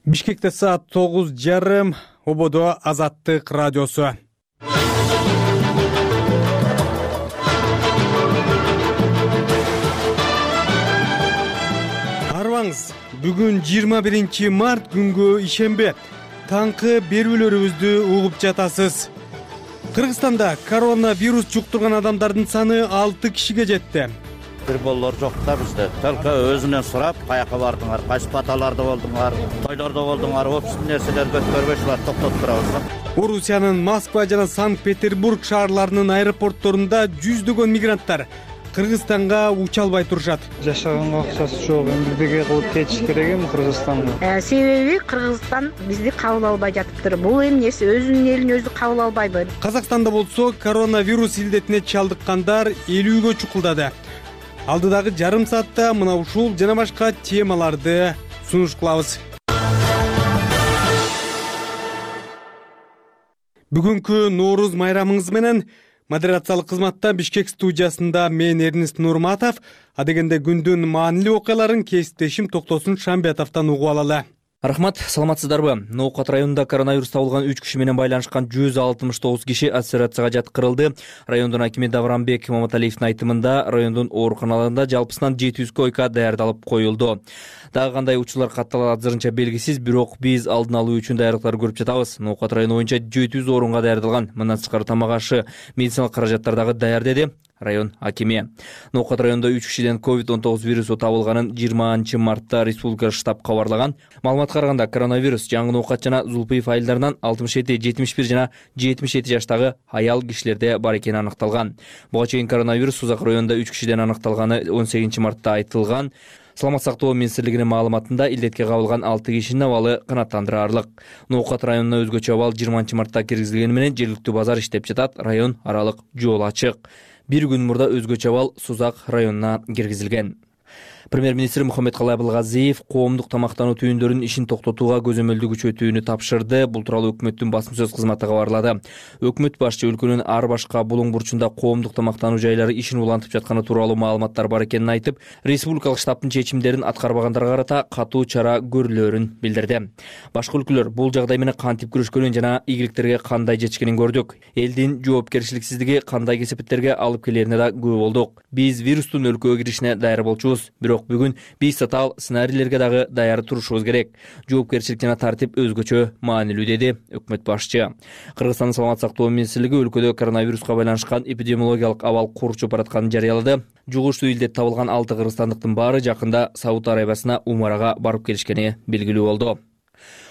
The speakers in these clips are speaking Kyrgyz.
Бишкекте саат 9:30, ободо Азаттык радиосу. Арбаңыз, бүгүн 21 март күнгө ишенбе. Таңкы берүүлөрүбүздү угуп жатасыз. Кыргызстанда коронавирус жуктурган адамдардын саны 6 кишиге жетти. Бир боллор жок да бизде. Только өзүнөн сурап, каяка бардыңар, кайсы баталарда болдуңар, тойлордо болдуңар, опсуз нерселер көтөрбөй шулар токтотуп турабыз. Орусиянын Москва жана Санкт-Петербург шаарларынын аэропортторунда жүздөгөн мигранттар Кыргызстанга уча албай турушат. Жашаганга акчасы жок, эмне кылып кетиш керек эми Кыргызстанга? Себеби Кыргызстан бизди кабыл албай жатыптыр. Бул эмнеси өзүнүн элин өзү кабыл албайбы? Казакстанда болсо коронавирус илдетине чалдыккандар 50гө чукулдады. Алдыдагы жарым саатта мына ушул жана башка темаларды сунуш кылабыз. Бүгүнкү Нооруз майрамыңыз менен модерациялык кызматта Бишкек студиясында мен Эрнест Нурматов, адегенде күндүн маанилүү окуяларын кесиптешим Токтосун Шамбетовдон угуп алалы. Рахмат, саламатсыздарбы? Ноокат районунда коронавирус табылган 3 киши менен байланышкан 169 киши изоляцияга жаткырылды. Райондун акими Давранбек Маматалиевдин айтымында, райондун ооруканаларында жалпысынан 700 койка даярдалып коюлду. Дагы кандай учурлар катталат азырынча белгисиз, бирок биз алдын алуу үчүн даярдыктар көрүп жатабыз. Ноокат району боюнча 700 орунга даярдалган. Мындан тышкары тамак ашы, медициналык каражаттар дагы даяр деди район акими. Ноокат районунда 3 кишиден COVID-19 вирусу табылганын 20 мартта республика штаб кабарлаган. Маалыматка караганда, коронавирус жаңы Ноокат жана Зулпиев айылдарынан 67, 71 жана 77 жаштагы аял кишилерде бар экени аныкталган. Буга чейин коронавирус Сузак районунда 3 кишиден аныкталганы 18 мартта айтылган. Саламат сактоо министрлигинин маалыматында илдетке кабылган 6 кишинин абалы канааттандырарлык. Ноокат районуна өзгөчө абал 20 мартта киргизилгени менен жергиликтүү базар иштеп жатат, район аралык жол ачык. Бир күн мурда өзгөчө абал Сузак районуна киргизилген. Премьер-министр Мухаммедкалый Абылгазиев коомдук тамактануу түйүндөрүнүн ишин токтотууга көзөмөлдү күчөтүүнү тапшырды. Бул тууралуу өкмөттүн басма сөз кызматы кабарлады. Өкмөт башчы өлкөнүн ар башка булуң бурчунда коомдук тамактануу жайлары ишин улантып жатканы тууралуу маалыматтар бар экенин айтып, республикалык штабтын чечимдерин аткарбагандарга карата катуу чара көрүлөөрүн билдирди. Башка өлкөлөр бул жагдай менен кантип күрөшкөнүн жана ийгиликтерге кандай жетишкенин көрдүк. Элдин жоопкерчиликсиздиги кандай кесепеттерге алып келерине да күбө болдук. Биз вирустун өлкөгө киришине даяр болчубуз, бирок бүгүн биз татаал сценарийлерге дагы даяр турушубуз керек. Жоопкерчилик жана тартип өзгөчө маанилүү, деди өкмөт башчы. Кыргызстандын саламат сактоо министрлиги өлкөдө коронавируска байланышкан эпидемиологиялык абал курчуп баратканын жарыялады. Жугуштуу илдет табылган 6 кыргызстандыктын баары жакында Сауд Арабиясына умарага барып келишкени белгилүү болду.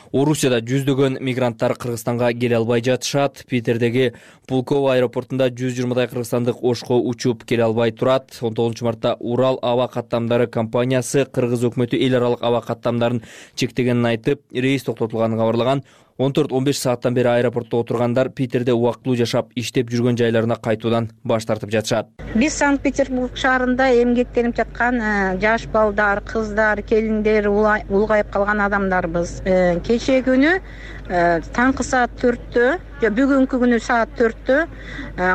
Орусияда жүздөгөн мигранттар Кыргызстанга келе албай жатышат. Питердеги Пулково аэропортунда 120дай кыргызстандык Ошко учуп келе албай турат. 19 мартта Урал аба каттамдары компаниясы Кыргыз өкмөтү эл аралык аба каттамдарын чектегенин айтып, рейс токтотулганын кабарлаган. 14-15 сааттан бери аэропортто отургандар Питерде убактылуу жашап, иштеп жүргөн жайларына кайтуудан баш тартып жатышат. Биз Санкт-Петербург шаарында эмгектенип жаткан жаш балдар, кыздар, келиндер, улгайып калган адамдарбыз. Кечээ күнү таңкы саат 4-тө, бүгүнкү күнү саат 4-тө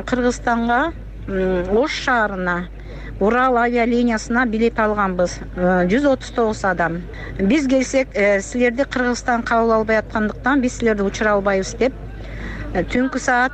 Кыргызстанга Ош шаарына Урал авиалиниясына билет алганбыз. 139 адам. Биз келсек, силерди Кыргызстан кабыл албай аткандыктан биз силерди учура албайбыз деп, түнкү саат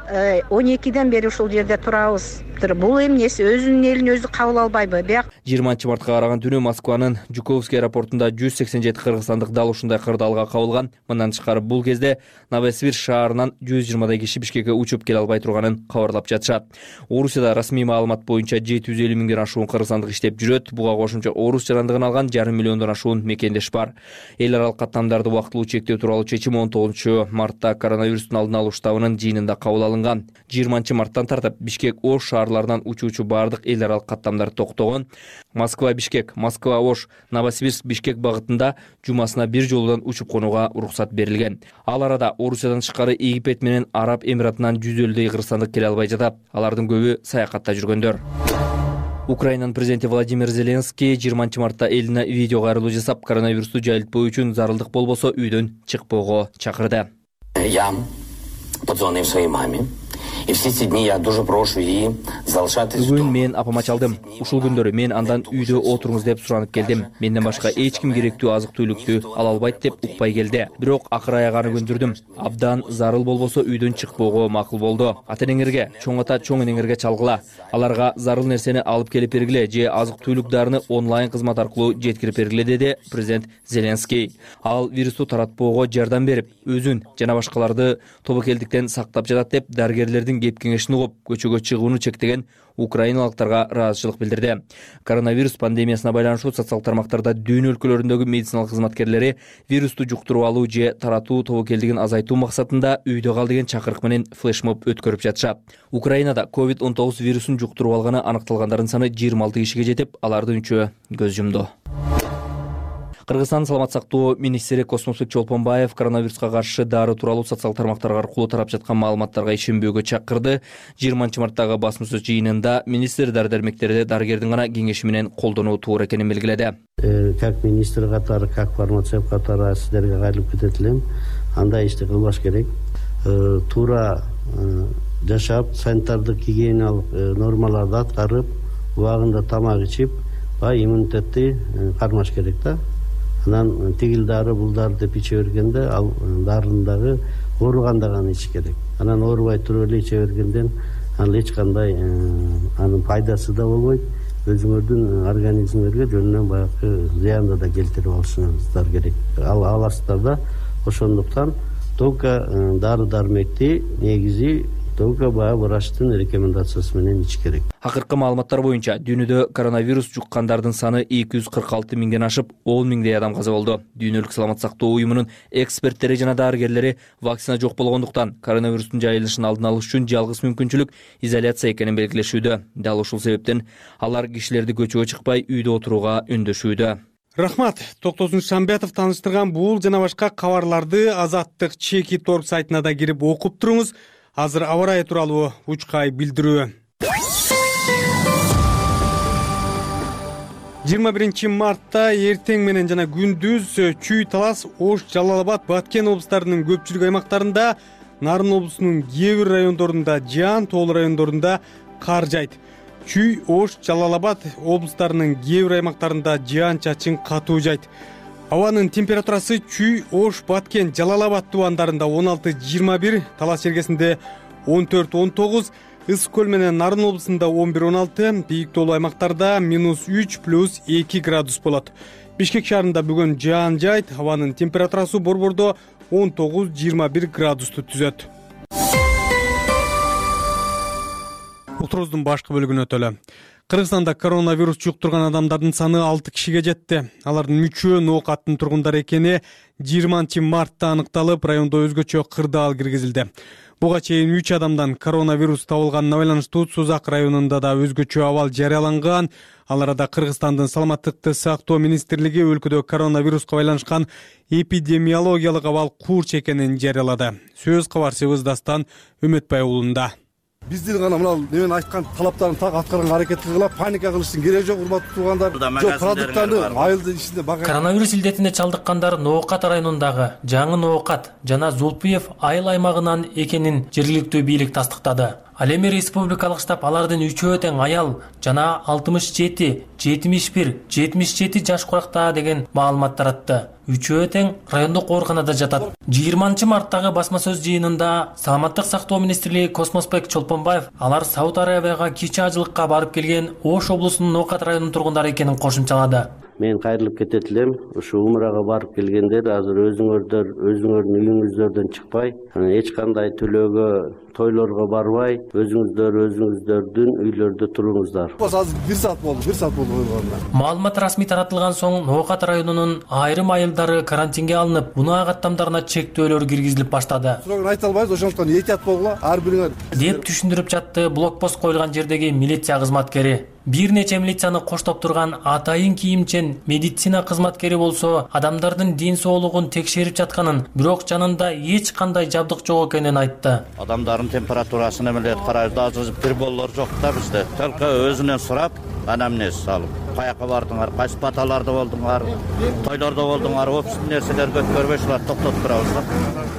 12ден бери ушул жерде турабыз. Бул эмнеси өзүнүн элин өзү кабыл албайбы? 20 мартка караган түнү Москванын Жуковский аэропортунда 187 кыргызстандык дал ушундай кырдаалга кабылган. Мындан тышкары бул кезде Новосибирск шаарынан 120дай киши Бишкекке учуп келе албай турганын кабарлап жатышат. Орусияда расмий маалымат боюнча 750 миңден ашуун кыргызстандык иштеп жүрөт. Буга кошумча орус жарандыгын алган 1,5 миллиондон ашуун мекендеш бар. Эл аралык каттамдарды убактылуу чектөө тууралуу чечим 19 мартта коронавирустун алдын алуу штабынын жыйынында кабыл алынган. 20 марттан тартып Бишкек Ош шаарларынан учуучу бардык эл аралык каттамдар токтогон. Москва Бишкек, Москва Ош, Новосибирск Бишкек багытында жумасына бир жолудан учуп конууга уруксат берилген. Ал арада Орусиядан тышкары Египет менен Араб Эмиратынан 150дөй кыргызстандык келе албай жатат. Алардын көбү саякатта жүргөндөр. Украинанын президенти Владимир Зеленский 20 мартта элине видео кайрылуу жасап, коронавирусту жайылтпоо үчүн зарылдык болбосо үйдөн чыкпоого чакырды. Я позвонил своей маме И все эти дни я дуже прошу и залишатись. Бүгүн мен апама чалдым. Ушул күндөрү мен андан үйдө отуруңуз деп суранып келдим. Менден башка эч ким керектүү азык-түлүктү ала албайт деп укпай келди. Бирок акыр аяганы көндүрдүм. Абдан зарыл болбосо үйдөн чыкпоого макул болду. Ата-энеңерге, чоң ата, чоң энеңерге чалгыла. Аларга зарыл нерсени алып келип бергиле же азык-түлүк дарыны онлайн кызмат аркылуу жеткирип бергиле деди президент Зеленский. Ал вирусту таратпоого жардам берип, өзүн жана башкаларды тобокелдиктен сактап жатат деп дарыгерлердин кеп кеңешин угуп, көчөгө чыгууну чектеген украиналыктарга ыраазычылык билдирди. Коронавирус пандемиясына байланыштуу социалдык тармактарда дүйнө өлкөлөрүндөгү медициналык кызматкерлери вирусту жуктуруп алуу же таратуу тобокелдигин азайтуу максатында үйдө кал деген чакырык менен флешмоб өткөрүп жатышат. Украинада COVID-19 вирусун жуктуруп алганы аныкталгандардын саны 26 кишиге жетип, алардын 3-өө көз жумду. Кыргызстан саламат сактоо министри Космосбек Чолпонбаев коронавируска каршы дары тууралуу социалдык тармактар аркылуу тарап жаткан маалыматтарга ишенбөөгө чакырды. 20-марттагы басма-сөз жыйынында министр дары-дармектерди дарыгердин гана кеңеши менен колдонуу туура экенин белгиледи. Как министр катары, как фармацевт катары сиздерге кайрылып кетет элем. Андай ишти кылбаш керек. Туура жашап, санитардык гигиеналык нормаларды аткарып, убагында тамак ичип, иммунитетти кармаш керек да. Анан тигил дары, бул дары деп иче бергенде, ал дарынын дагы ооруганда гана ич керек. Анан оорубай туруп эле иче бергенден ал эч кандай анын пайдасы да болбойт. Өзүңөрдүн организмиңерге жөнүнөн баягы зыянды да келтирип алышыңыздар керек. Аласыздар да. Ошондуктан только дары-дармекти негизи только баягы врачтын рекомендациясы менен ич керек. Акыркы маалыматтар боюнча дүйнөдө коронавирус жуккандардын саны 246 миңден ашып, 10 миңдей адам каза болду. Дүйнөлүк саламат сактоо уюмунун эксперттери жана дарыгерлери вакцина жок болгондуктан коронавирустун жайылышын алдын алыш үчүн жалгыз мүмкүнчүлүк изоляция экенин белгилешүүдө. Дал ушул себептен алар кишилерди көчөгө чыкпай үйдө отурууга үндөшүүдө. Рахмат. Токтосун Шамбетов тааныштырган бул жана башка кабарларды Азаттык Чеки.org сайтына да кирип окуп туруңуз. Азыр аба ырайы тууралуу учкай билдирүү. 21 мартта эртең менен жана күндүз Чүй, Талас, Ош, Жалал Абад, Баткен облустарынын көпчүлүк аймактарында, Нарын облусунун кээ бир райондорунда жаан, тоол райондорунда кар жайт. Чүй, Ош, Жалал Абад облустарынын кээ бир аймактарында жаан-чачын катуу жайт. Абанын температурасы Чүй, Ош, Баткен, Жалал Абад тубандарында 16-21, Талас жергесинде 14-19, Ысык көл менен Нарын облусунда 11-16, бийик тоолуу аймактарда -3+2 градус болот. Бишкек шаарында бүгүн жаан жайт, абанын температурасы борбордо 19-21 градусту түзөт. Утурубуздун башкы бөлүгүнө өтөлү. Кыргызстанда коронавирус жуктурган адамдардын саны 6 кишиге жетти. Алардын 3-өө Ноокаттын тургундары экени 20 мартта аныкталып, райондо өзгөчө кырдаал киргизилди. Буга чейин 3 адамдан коронавирус табылганына байланыштуу Сузак районунда да өзгөчө абал жарыяланган. Ал арада Кыргызстандын саламаттыкты сактоо министрлиги өлкөдө коронавируска байланышкан эпидемиологиялык абал курч экенин жарыялады. Сөз кабарчыбыз Дастан Үмөтбай уулунда. Биздин гана мына немен айткан талаптарын так аткарганга аракет кылгыла, паника кылыштын кереги жок, урматтуу туугандар. Жок, продукттарды айылдын ичинде бага. Коронавирус илдетине чалдыккандар Ноокат районундагы Жаңы Ноокат жана Зулпуев айыл аймагынан экенин жергиликтүү бийлик тастыктады. Ал эми республикалык штаб алардын 3-өө тең аял жана 67, 71, 77 жаш куракта деген маалымат таратты. 3-өө тең райондук ооруканада жатат. 20 марттагы басма сөз жыйынында саламаттык сактоо министри Космосбек Чолпонбаев алар Сауд Арабияга кичи ажылыкка барып келген Ош облусунун Ноокат районунун тургундары экенин кошумчалады. Мен кайрылып кетет элем. Ушу умрага барып келгендер азыр өзүңөрдүн үйүңүздөрдөн чыкпай, эч кандай төлөөгө, тойлорго барбай, өзүңүздөрдүн үйлөрдө туруңуздар. Азыр 1 саат болду койгонуна. Маалымат расмий таратылган соң Ноокат районунун айрым айылдары карантинге алынып, унаа каттамдарына чектөөлөр киргизилип баштады. Сурогун айта албайбыз, ошондуктан этият болгула, ар бириңер. Деп түшүндүрүп жатты блокпост коюлган жердеги милиция кызматкери. Бир нече милицияны коштоп турган атайын кийимчен медицина кызматкери болсо адамдардын ден соолугун текшерип жатканын, бирок жанында эч кандай жабдык жок экенин айтты. Адамдардын температурасын эмелеп карайбыз, азыр бир боллор жок да бизде. Только өзүнөн сурап, анамнез салып. каяка бардыңар, кайсы баталарда болдуңар, тойлордо болдуңар, опсуз нерселер көткөрбөй ушуларды токтотуп турабыз да.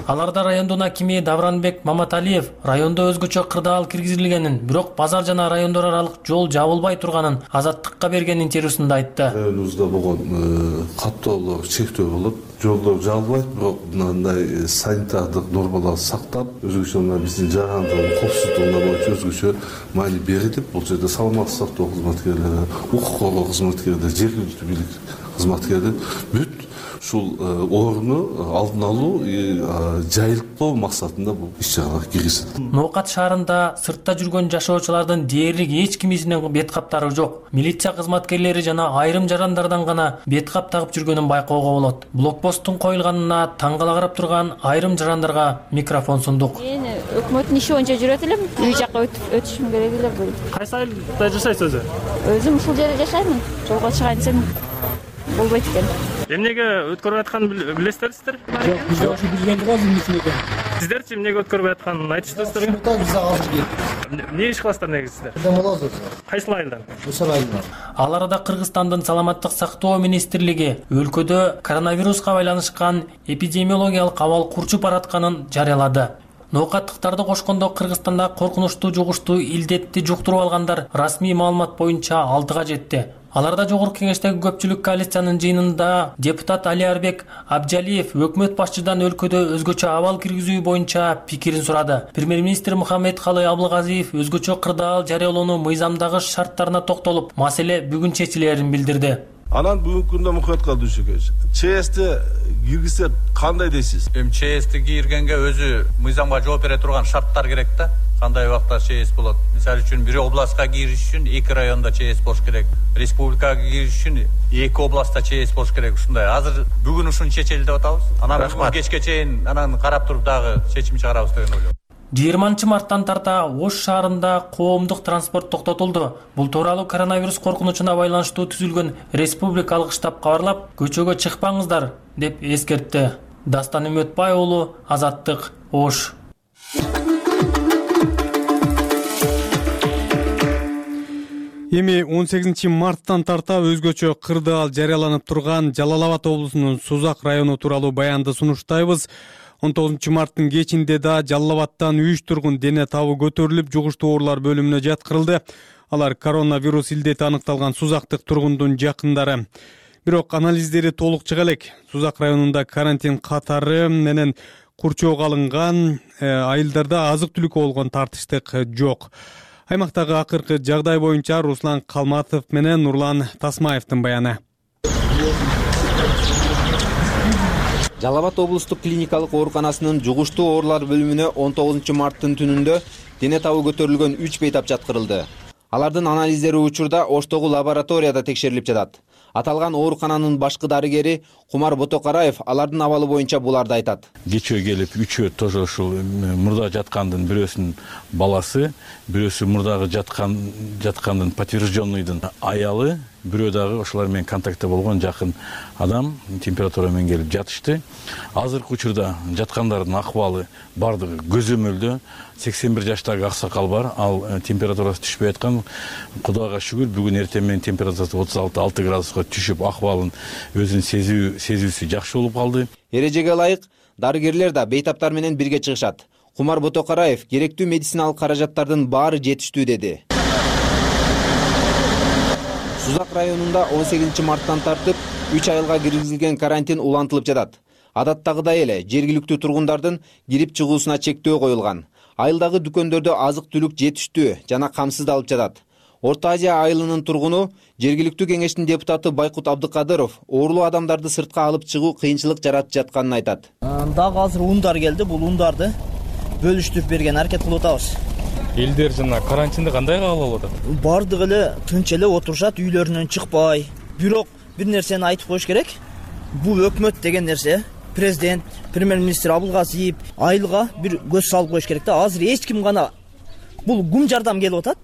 Аларда райондун акими Давранбек Маматалиев райондо өзгөчө кырдаал киргизилгенин, бирок базар жана райондор аралык жол жабылбай турганын Азаттыкка берген интервьюсунда айтты. Районубузда болгон каттоолор чектөө болот. Жолдор жабылбайт, бирок мындай санитардык нормаларды сактап, өзгөчө биздин жагандын коопсуздугуна боюнча өзгөчө маани берилип, бул жерде саламаттык сактоо кызматкерлери, укук коргоо кызматкерлери, жергиликтүү бийлик кызматкерлери бүт ушул орунду алдын алуу, жайылтпоо максатында бул иш-чаралар киргизилет. Ноокат шаарында сыртта жүргөн жашоочулардын дээрлик эч кимисинин бет каптары жок. Милиция кызматкерлери жана айрым жарандардан гана бет кап тагып жүргөнүн байкоого болот. Блокпосттун коюлганына таң кала карап турган айрым жарандарга микрофон сундук. Мен өкмөттүн иши боюнча жүрөт элем. Үй жакка өтүшүм керек эле бул. Кайсы айылда жашайсыз өзү? Өзүм ушул жерде жашаймын. Жолго чыгайын десем болбойт экен. Эмнеге өткөрүп атканын билесиздер? Жок, биз ошо билген го эмнесин экен. Сиздерчи эмнеге өткөрүп атканын айтышты Биз азыр келип. Эмне иш кыласыздар негизи сиздер? Болобуз. Кайсы айылдан? Ошол айылдан. Ал арада Кыргызстандын саламаттык сактоо министрлиги өлкөдө коронавируска байланышкан эпидемиологиялык абал курчуп баратканын жарыялады. Ноокаттыктарды кошкондо Кыргызстанда коркунучтуу жугуштуу илдетти жуктуруп алгандар расмий маалымат боюнча 6-га жетти. Аларда жогорку кеңештеги көпчүлүк коалициянын жыйынында депутат Алиарбек Абжалиев өкмөт башчыдан өлкөдө өзгөчө абал киргизүү боюнча пикирин сурады. Премьер-министр Мухаммедкалый Абылгазиев өзгөчө кырдаал жарыялоонун мыйзамдагы шарттарына токтолуп, маселе бүгүн чечилерин билдирди. Анан бүгүнкү күндө Мухаммедкалый Дүйшөкевич, ЧСти киргизсе кандай дейсиз? ЧСти киргенге өзү мыйзамга жооп бере турган шарттар керек да. Кандай убакта ЧС болот? Мисалы үчүн бир областка кириш үчүн 2 районда ЧС болуш керек. Республикага кириш үчүн 2 областта ЧС болуш керек. Ушундай. Азыр бүгүн ушуну чечели деп атабыз. Анан кечке чейин анан карап туруп дагы чечим чыгарабыз деген ойлойм. 20 марттан тарта Ош шаарында коомдук транспорт токтотулду. Бул тууралуу коронавирус коркунучуна байланыштуу түзүлгөн республикалык штаб кабарлап, көчөгө чыкпаңыздар деп эскертти. Дастан Үмөтбай уулу, Азаттык, Ош. Эми 18 марттан тарта өзгөчө кырдаал жарыяланып турган Жалал Абад облусунун Сузак району тууралуу баянды сунуштайбыз. 19 марттын кечинде да Жалал Абадтан 3 тургун дене табы көтөрүлүп, жугуштуу оорулар бөлүмүнө жаткырылды. Алар коронавирус илдети аныкталган Сузактык тургундун жакындары. Бирок анализдери толук чыга элек. Сузак районунда карантин катары менен курчоого алынган, айылдарда азык-түлүккө болгон тартыштык жок. Аймактагы акыркы жагдай боюнча Руслан Калматов менен Нурлан Тасмаевдин баяны. Жалал Абад облустук клиникалык ооруканасынын жугуштуу оорулар бөлүмүнө 19 марттын түнүндө дене табы көтөрүлгөн 3 бейтап жаткырылды. Алардын анализдери учурда Оштогу лабораторияда текшерилип жатат. Аталган оорукананын башкы дарыгери Кумар Ботокараев алардын абалы боюнча буларды айтат. Кечөө келип, үчөө тоже ушул мурда жаткандын бирөөсүнүн баласы, бирөөсү мурдагы жаткандын подтвержденныйдын аялы, бирөө дагы ошолар менен контактта болгон жакын адам температура менен келип жатышты. Азыркы учурда жаткандардын акыбалы бардыгы көзөмөлдө. 81 жаштагы аксакал бар, ал температурасы түшпөй аткан. Кудайга шүгүр, бүгүн эртең менен температурасы 36 градуска түшүп, акыбалын өзүнүн сезүүсү жакшы болуп калды. Эрежеге ылайык дарыгерлер да бейтаптар менен бирге чыгышат. Кумар Ботокараев керектүү медициналык каражаттардын баары жетиштүү деди. Сузак районунда 18 марттан тартып 3 айылга киргизилген карантин улантылып жатат. Адаттагыдай эле жергиликтүү тургундардын кирип чыгуусуна чектөө коюлган. Айылдагы дүкөндөрдө азык-түлүк жетиштүү жана камсыздалып жатат. Орто Азия айылынын тургуну жергиликтүү кеңештин депутаты Байкут Абдыкадыров оорулуу адамдарды сыртка алып чыгуу кыйынчылык жаратып жатканын айтат. Дагы азыр ундар келди, бул ундарды бөлүштүрүп берген аракет кылып атабыз. Элдер жана карантинди кандай кабыл алып атат? Бардыгы эле тынч эле отурушат, үйлөрүнөн чыкпай. Бирок бир нерсени айтып коюш керек. Бул өкмөт деген нерсе, президент, премьер-министр Абылгазиев айылга бир көз салып коюш керек да. Азыр эч ким гана бул гум жардам келип атат.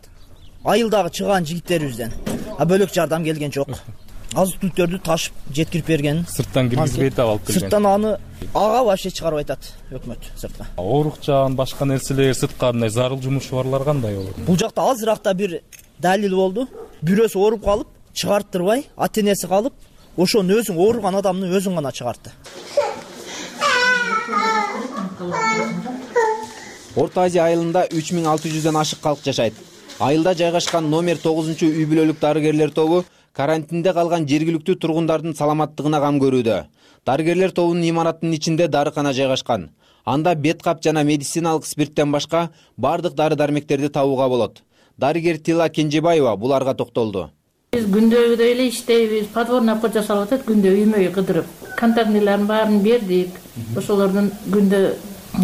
Айылдагы чыган жигиттерибизден. Бөлөк жардам келген жок. Азык-түлүктөрдү ташып жеткирип берген. Сырттан киргизбей таап алып келген. Сырттан аны ага вообще чыгарып айтат өкмөт сыртка. Оорукчан, башка нерселер сыртка мындай зарыл жумушу барлар кандай болот? Бул жакта азыракта бир далил болду. Бирөөсү ооруп калып, чыгарттырбай ата энеси калып, ошону өзүң ооруган адамды өзүң гана чыгартты. Орто Азия айылында 3600дөн ашык калк жашайт. Айылда жайгашкан номер 9 үй бүлөлүк дарыгерлер тобу карантинде калган жергиликтүү тургундардын саламаттыгына кам көрүүдө. Дарыгерлер тобунун имаратынын ичинде дарыкана жайгашкан. Анда бет кап жана медициналык спирттен башка бардык дары-дармектерди табууга болот. Дарыгер Тила Кенжебаева буларга токтолду. Биз күндөгүдөй эле иштейбиз, подворный обход жасалып атат, күндө үймөй кыдырып. Контактнелердин баарын бердик. Ошолордун күндө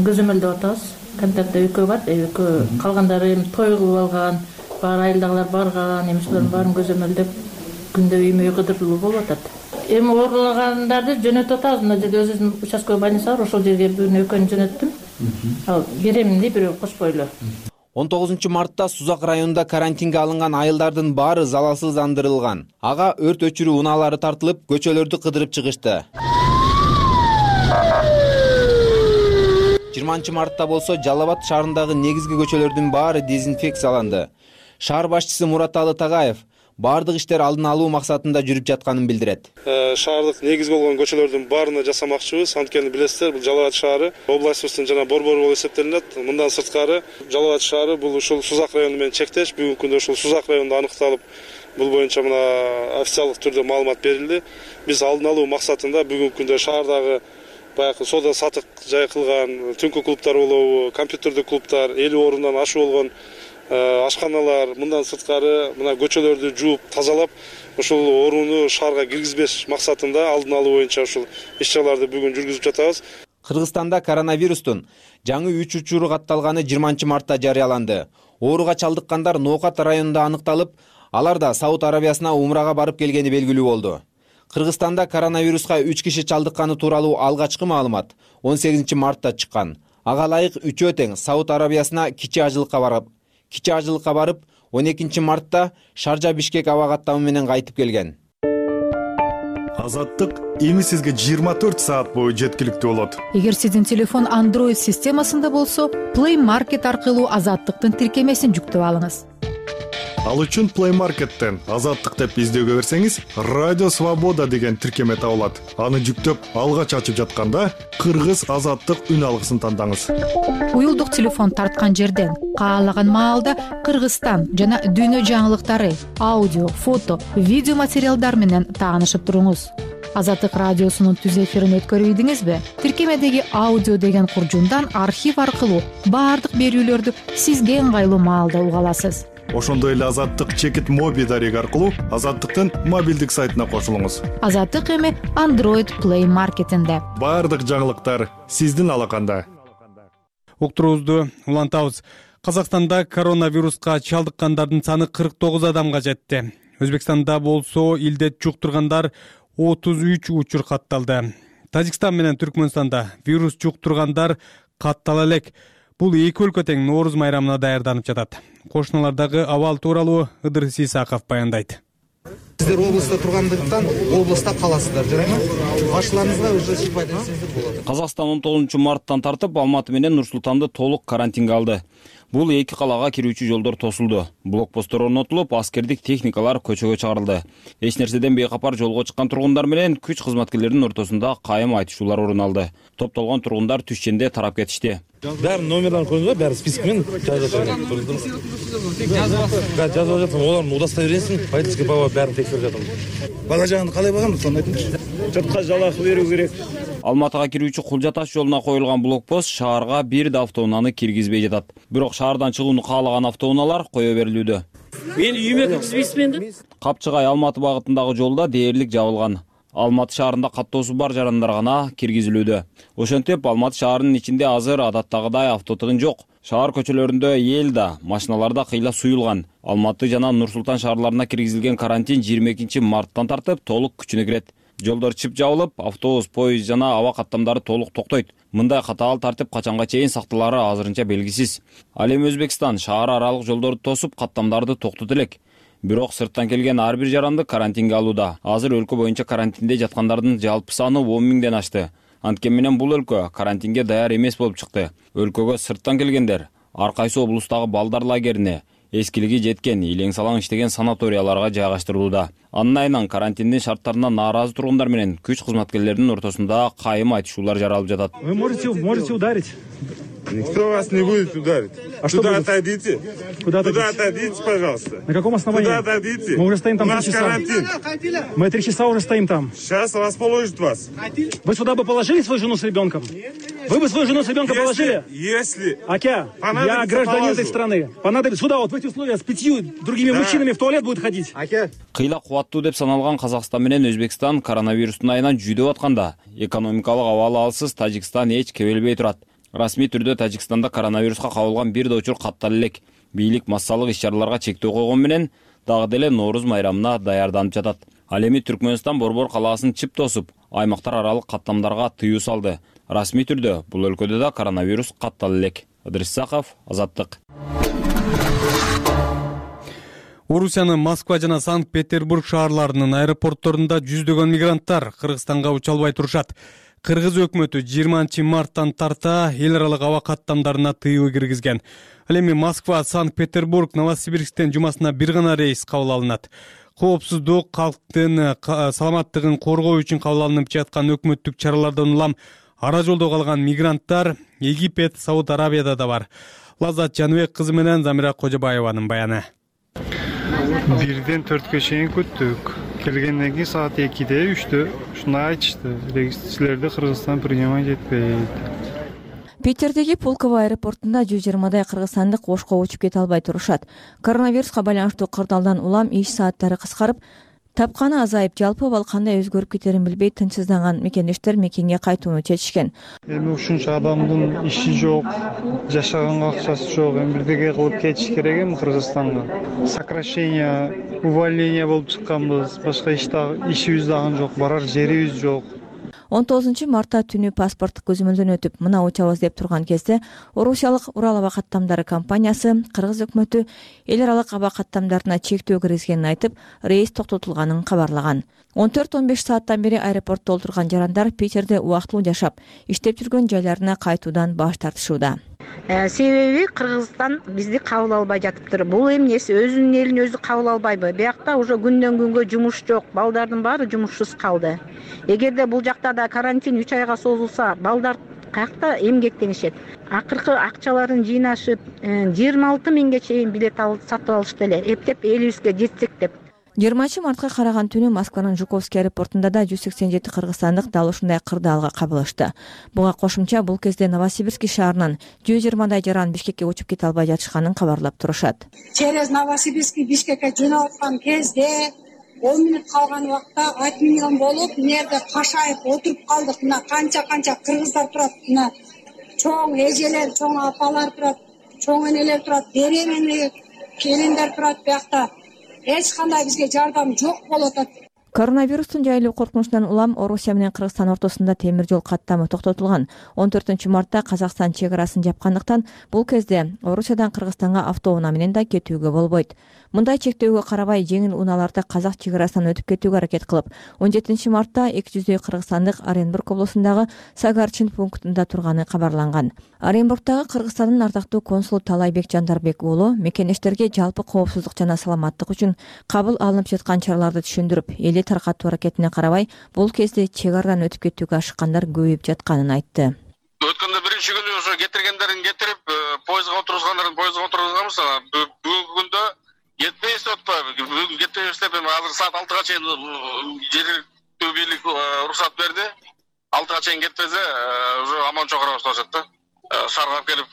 көзөмөлдөп атабыз. Контактта экөө бар, экөө калгандары той кылып алган, баары айылдагылар барган, эмиштердин баарын көзөмөлдөп күндө үймөй кыдырып болуп атат. Эми ооругандарды жөнөтүп атабыз. Мына жерде өзүбүздүн участковый больница бар, ошол жерге бирөөнү экөөнү жөнөттүм. Ал беремин деп бирөө кошпойлу. 19 мартта Сузак районунда карантинге алынган айылдардын баары залалсыздандырылган. Ага өрт өчүрүү унаалары тартылып, көчөлөрдү кыдырып чыгышты. 20 мартта болсо Жалал Абад шаарындагы негизги көчөлөрдүн баары дезинфекцияланды. Шаар башчысы Мураталы Тагаев бардык иштер алдын алуу максатында жүрүп жатканын билдирет. Шаардык негизги болгон көчөлөрдүн баарына жасамакчыбыз. Анткени билесиздер, бул Жалал Абад шаары областыбыздын жана борбору болуп эсептелинет. Мындан сырткары Жалал Абад шаары бул ушул Сузак району менен чектеш. Бүгүнкү күндө ушул Сузак районунда аныкталып, бул боюнча мына официалдык түрдө маалымат берилди. Биз алдын алуу максатында бүгүнкү күндө шаардагы баягы соода сатык жай кылган түнкү клубтар болобу, компьютердик клубтар, 50 орундан ашык болгон ашканалар, мындан сырткары мына көчөлөрдү жууп, тазалап, ушул орууну шаарга киргизбеш максатында алдын алуу боюнча ушул иш-чараларды бүгүн жүргүзүп жатабыз. Кыргызстанда коронавирустун жаңы 3 учуру катталганы 20 мартта жарыяланды. Ооруга чалдыккандар Ноокат районунда аныкталып, алар да Сауд Арабиясына умрага барып келгени белгилүү болду. Кыргызстанда коронавируска 3 киши чалдыкканы тууралуу алгачкы маалымат 18 мартта чыккан. Ага ылайык үчөө тең Сауд Арабиясына кичи ажылыкка барып, 12 мартта Шаржа Бишкек аба каттамы менен кайтып келген. Азаттык эми сизге 24 саат бою жеткиликтүү болот. Эгер сиздин телефон Android системасында болсо, Play Market аркылуу Азаттыктын тиркемесин жүктөп алыңыз. Ал үчүн Play Market'тен Азаттык деп издөөгө берсеңиз, Радио Свобода деген тиркеме табылат. Аны жүктөп, алгач ачып жатканда Кыргыз Азаттык үн алгысын тандаңыз. Уюлдук телефон тарткан жерден каалаган маалда Кыргызстан жана дүйнө жаңылыктары, аудио, фото, видео материалдар менен таанышып туруңуз. Азаттык радиосунун түз эфирин өткөрүйдүңүзбү? Тиркемедеги аудио деген куржундан архив аркылуу баардык берүүлөрдү сизге ыңгайлуу маалда уга аласыз. Ошондой эле Азаттык чекит моби дареги аркылуу Азаттыктын мобилдик сайтына кошулуңуз. Азаттык эми Android Play Market'инде. Баардык жаңылыктар сиздин алаканда. Уктуруубузду улантабыз. Казакстанда коронавируска чалдыккандардын саны 49 адамга жетти. Өзбекстанда болсо илдет жуктургандар 33 учур катталды. Тажикстан менен Түркмөнстанда вирус жуктургандар каттала элек. Бул эки өлкө тең Нооруз майрамына даярданып жатат. Кошуналардагы абал тууралуу Ыдыр Сисаков баяндайт. Сиздер областа тургандыктан областа каласыздар, жарайбы? Башчыларыңызга уже сыйпай десеңиздер болот. Казакстан 19 марттан тартып Алматы менен Нур Султанды толук карантинге алды. Бул эки калага кирүүчү жолдор тосулду. Блокпосттор орнотулуп, аскердик техникалар көчөгө чыгарылды. Эч нерседен бейкапар жолго чыккан тургундар менен күч кызматкерлеринин ортосунда кайым айтышуулар орун алды. Топтолгон тургундар түшченде тарап кетишти. Бәрін номерларын көрдіңіз ба? Бәрі спискімен жазып жатырмын. Жазып жатырмын. Олардың удостоверениесін водительский права бәрін тексеріп жатырмын. Бала жағында қалай бағам? Соны айтыңызшы. Жұртқа жалақы беру керек. Алматыга кирүүчү Кулжа таш жолуна коюлган блокпост шаарга бир да автоунааны киргизбей жатат. Бирок шаардан чыгууну каалаган автоунаалар кое берилүүдө. Мен үйүмө киргизбейсизби энди? Капчыгай Алматы багытындагы жолда дээрлик жабылган. Алматы шаарында каттоосу бар жарандар гана киргизилүүдө. Ошентип Алматы шаарынын ичинде азыр адаттагыдай автотыгын жок. Шаар көчөлөрүндө эл да, машиналар да кыйла суюлган. Алматы жана Нур Султан шаарларына киргизилген карантин 22 марттан тартып толук күчүнө кирет. Жолдор чып жабылып, автобус, поезд жана аба каттамдары толук токтойт. Мындай катаал тартип качанга чейин сакталары азырынча белгисиз. Ал эми Өзбекстан шаар аралык жолдорду тосуп, каттамдарды токтотот элек. Бирок сырттан келген ар бир жаранды карантинге алууда. Азыр өлкө боюнча карантинде жаткандардын жалпы саны 10 миңден ашты. Анткени менен бул өлкө карантинге даяр эмес болуп чыкты. Өлкөгө сырттан келгендер ар кайсы облустагы балдар лагерине, эскилиги жеткен, илең салаң иштеген санаторияларга жайгаштырылууда. Анын айынан карантиндин шарттарына нааразы тургундар менен күч кызматкерлеринин ортосунда кайым айтышуулар жаралып жатат. Вы можете ударить? Никто вас не будет ударить. А что Туда будет? отойдите. Куда отойдите, пожалуйста. На каком основании? Туда отойдите. Мы уже стоим там 3 Наш часа. карантин. Мы 3 часа уже стоим там. Сейчас расположит вас. Вы сюда бы положили свою жену с ребенком? Вы бы свою жену с ребенком положили? Если Акя, я понадобится, гражданин положу. этой страны. Понадобится сюда, вот в эти условия, с 5 другими мужчинами в туалет будет ходить. Кыйла кубаттуу деп саналган Казакстан менен Өзбекстан коронавирустун айынан жүдөп атканда, экономикалык абалы алсыз Тажикстан эч кебелбей турат. Расмий түрдө Тажикстанда коронавируска кабылган бир да учур каттала элек. Бийлик массалык иш-чараларга чектөө койгон менен дагы деле Нооруз майрамына даярданып жатат. Ал эми Түркмөнстан борбор калаасын чып тосуп, аймактар аралык каттамдарга тыюу салды. Расмий түрдө бул өлкөдө да коронавирус каттала элек. Ыдырыс Саков, Азаттык. Орусиянын Москва жана Санкт-Петербург шаарларынын аэропортторунда жүздөгөн мигранттар Кыргызстанга уча албай турушат. Кыргыз өкмөтү 20 марттан тарта эл аралык аба каттамдарына тыюу киргизген. Ал эми Москва, Санкт-Петербург, Новосибирсктен жумасына бир гана рейс кабыл алынат. Коопсуздук, калктын саламаттыгын коргоо үчүн кабыл алынып жаткан өкмөттүк чаралардан улам ара жолдо калган мигранттар Египет, Сауд Арабияда да бар. Лаззат Жаныбек кызы менен Замира Кожобаеванын баяны. 1-ден 4-кө чейин күттүк. Келгенден кийин саат 2-де 3-тө ушуну айтышты. Силерди Кыргызстан принимать этпейт. Питердеги Пулково аэропортунда 120дай кыргызстандык Ошко учуп кете албай турушат. Коронавируска байланыштуу кырдаалдан улам иш сааттары кыскарып, тапканы азайып, жалпы абал кандай өзгөрүп кетерин билбей тынчсызданган мекендештер мекенге кайтууну чечишкен. Эми ушунча адамдын иши жок, жашаганга акчасы жок. Эми бирдеге кылып кетиш керек эми Кыргызстанга. Сокращение, увольнение болуп чыкканбыз. Башка ишибиз дагы жок, барар жерибиз жок. 19 мартта түнү паспорттук көзөмөлдөн өтүп, мына учабыз деп турган кезде Орусиялык Урал аба каттамдары компаниясы Кыргыз өкмөтү эл аралык аба каттамдарына чектөө киргизгенин айтып, рейс токтотулганын кабарлаган. 14-15 сааттан бери аэропортто отурган жарандар Питерде убактылуу жашап, иштеп жүргөн жайларына кайтуудан баш тартышууда. Себеби Кыргызстан бизди кабыл албай жатыптыр. Бул эмнеси өзүнүн элин өзү кабыл албайбы? Биякта уже күндөн күнгө жумуш жок, балдардын баары жумушсуз калды. Эгерде бул жакта да карантин 3 айга созулса, балдар каякта эмгектенишет. Акыркы акчаларын жыйнашып, 26 миңге чейин билет сатып алышты эле. Эптеп элибизге жетсек деп. 20 мартка караган түнү Москванын Жуковский аэропортунда да 187 кыргызстандык дал ушундай кырдаалга кабылышты. Буга кошумча бул кезде Новосибирск шаарынан 120дай жаран Бишкекке учуп кете албай жатышканын кабарлап турушат. Через Новосибирск Бишкекке жөнөп аткан кезде 10 мүнөт калган убакта 1 миллион болуп, нерде кашайып отуруп калдык. Мына канча кыргыздар турат, мына чоң эжелер, чоң апалар турат, чоң энелер турат, беременный келиндер турат биякта. Эч кандай бизге жардам жок болуп атат. Коронавирустун жайылуу коркунучунан улам Орусия менен Кыргызстан ортосунда темир жол каттамы токтотулган. 14 мартта Казакстан чек арасын жапкандыктан бул кезде Орусиядан Кыргызстанга автоунаа менен да кетүүгө болбойт. Мындай чектөөгө карабай жеңил унааларда казак чек арасынан өтүп кетүүгө аракет кылып, 17 мартта 200 кыргызстандык Оренбург облусундагы Сагарчин пунктунда турганы кабарланган. Оренбургдагы Кыргызстандын ардактуу консулу Талайбек Жандарбек уулу мекенештерге жалпы коопсуздук жана саламаттык үчүн кабыл алынып жаткан чараларды түшүндүрүп, элди таркатуу аракетине карабай, бул кезде чек арадан өтүп кетүүгө ашыккандар көбөйүп жатканын айтты. Өткөндө биринчи күнү ошо кетиргендерин кетирип, поездга отургузгандарын поездга отургузганбыз. Бүгүнкү күндө жетпейбиз деп атпайбы. Бүгүн кетпейбиз деп азыр саат 6га чейин жергиликтүү бийлик уруксат берди. 6га чейин кетпесе, уже аман чокура башташат да. Шаарга келип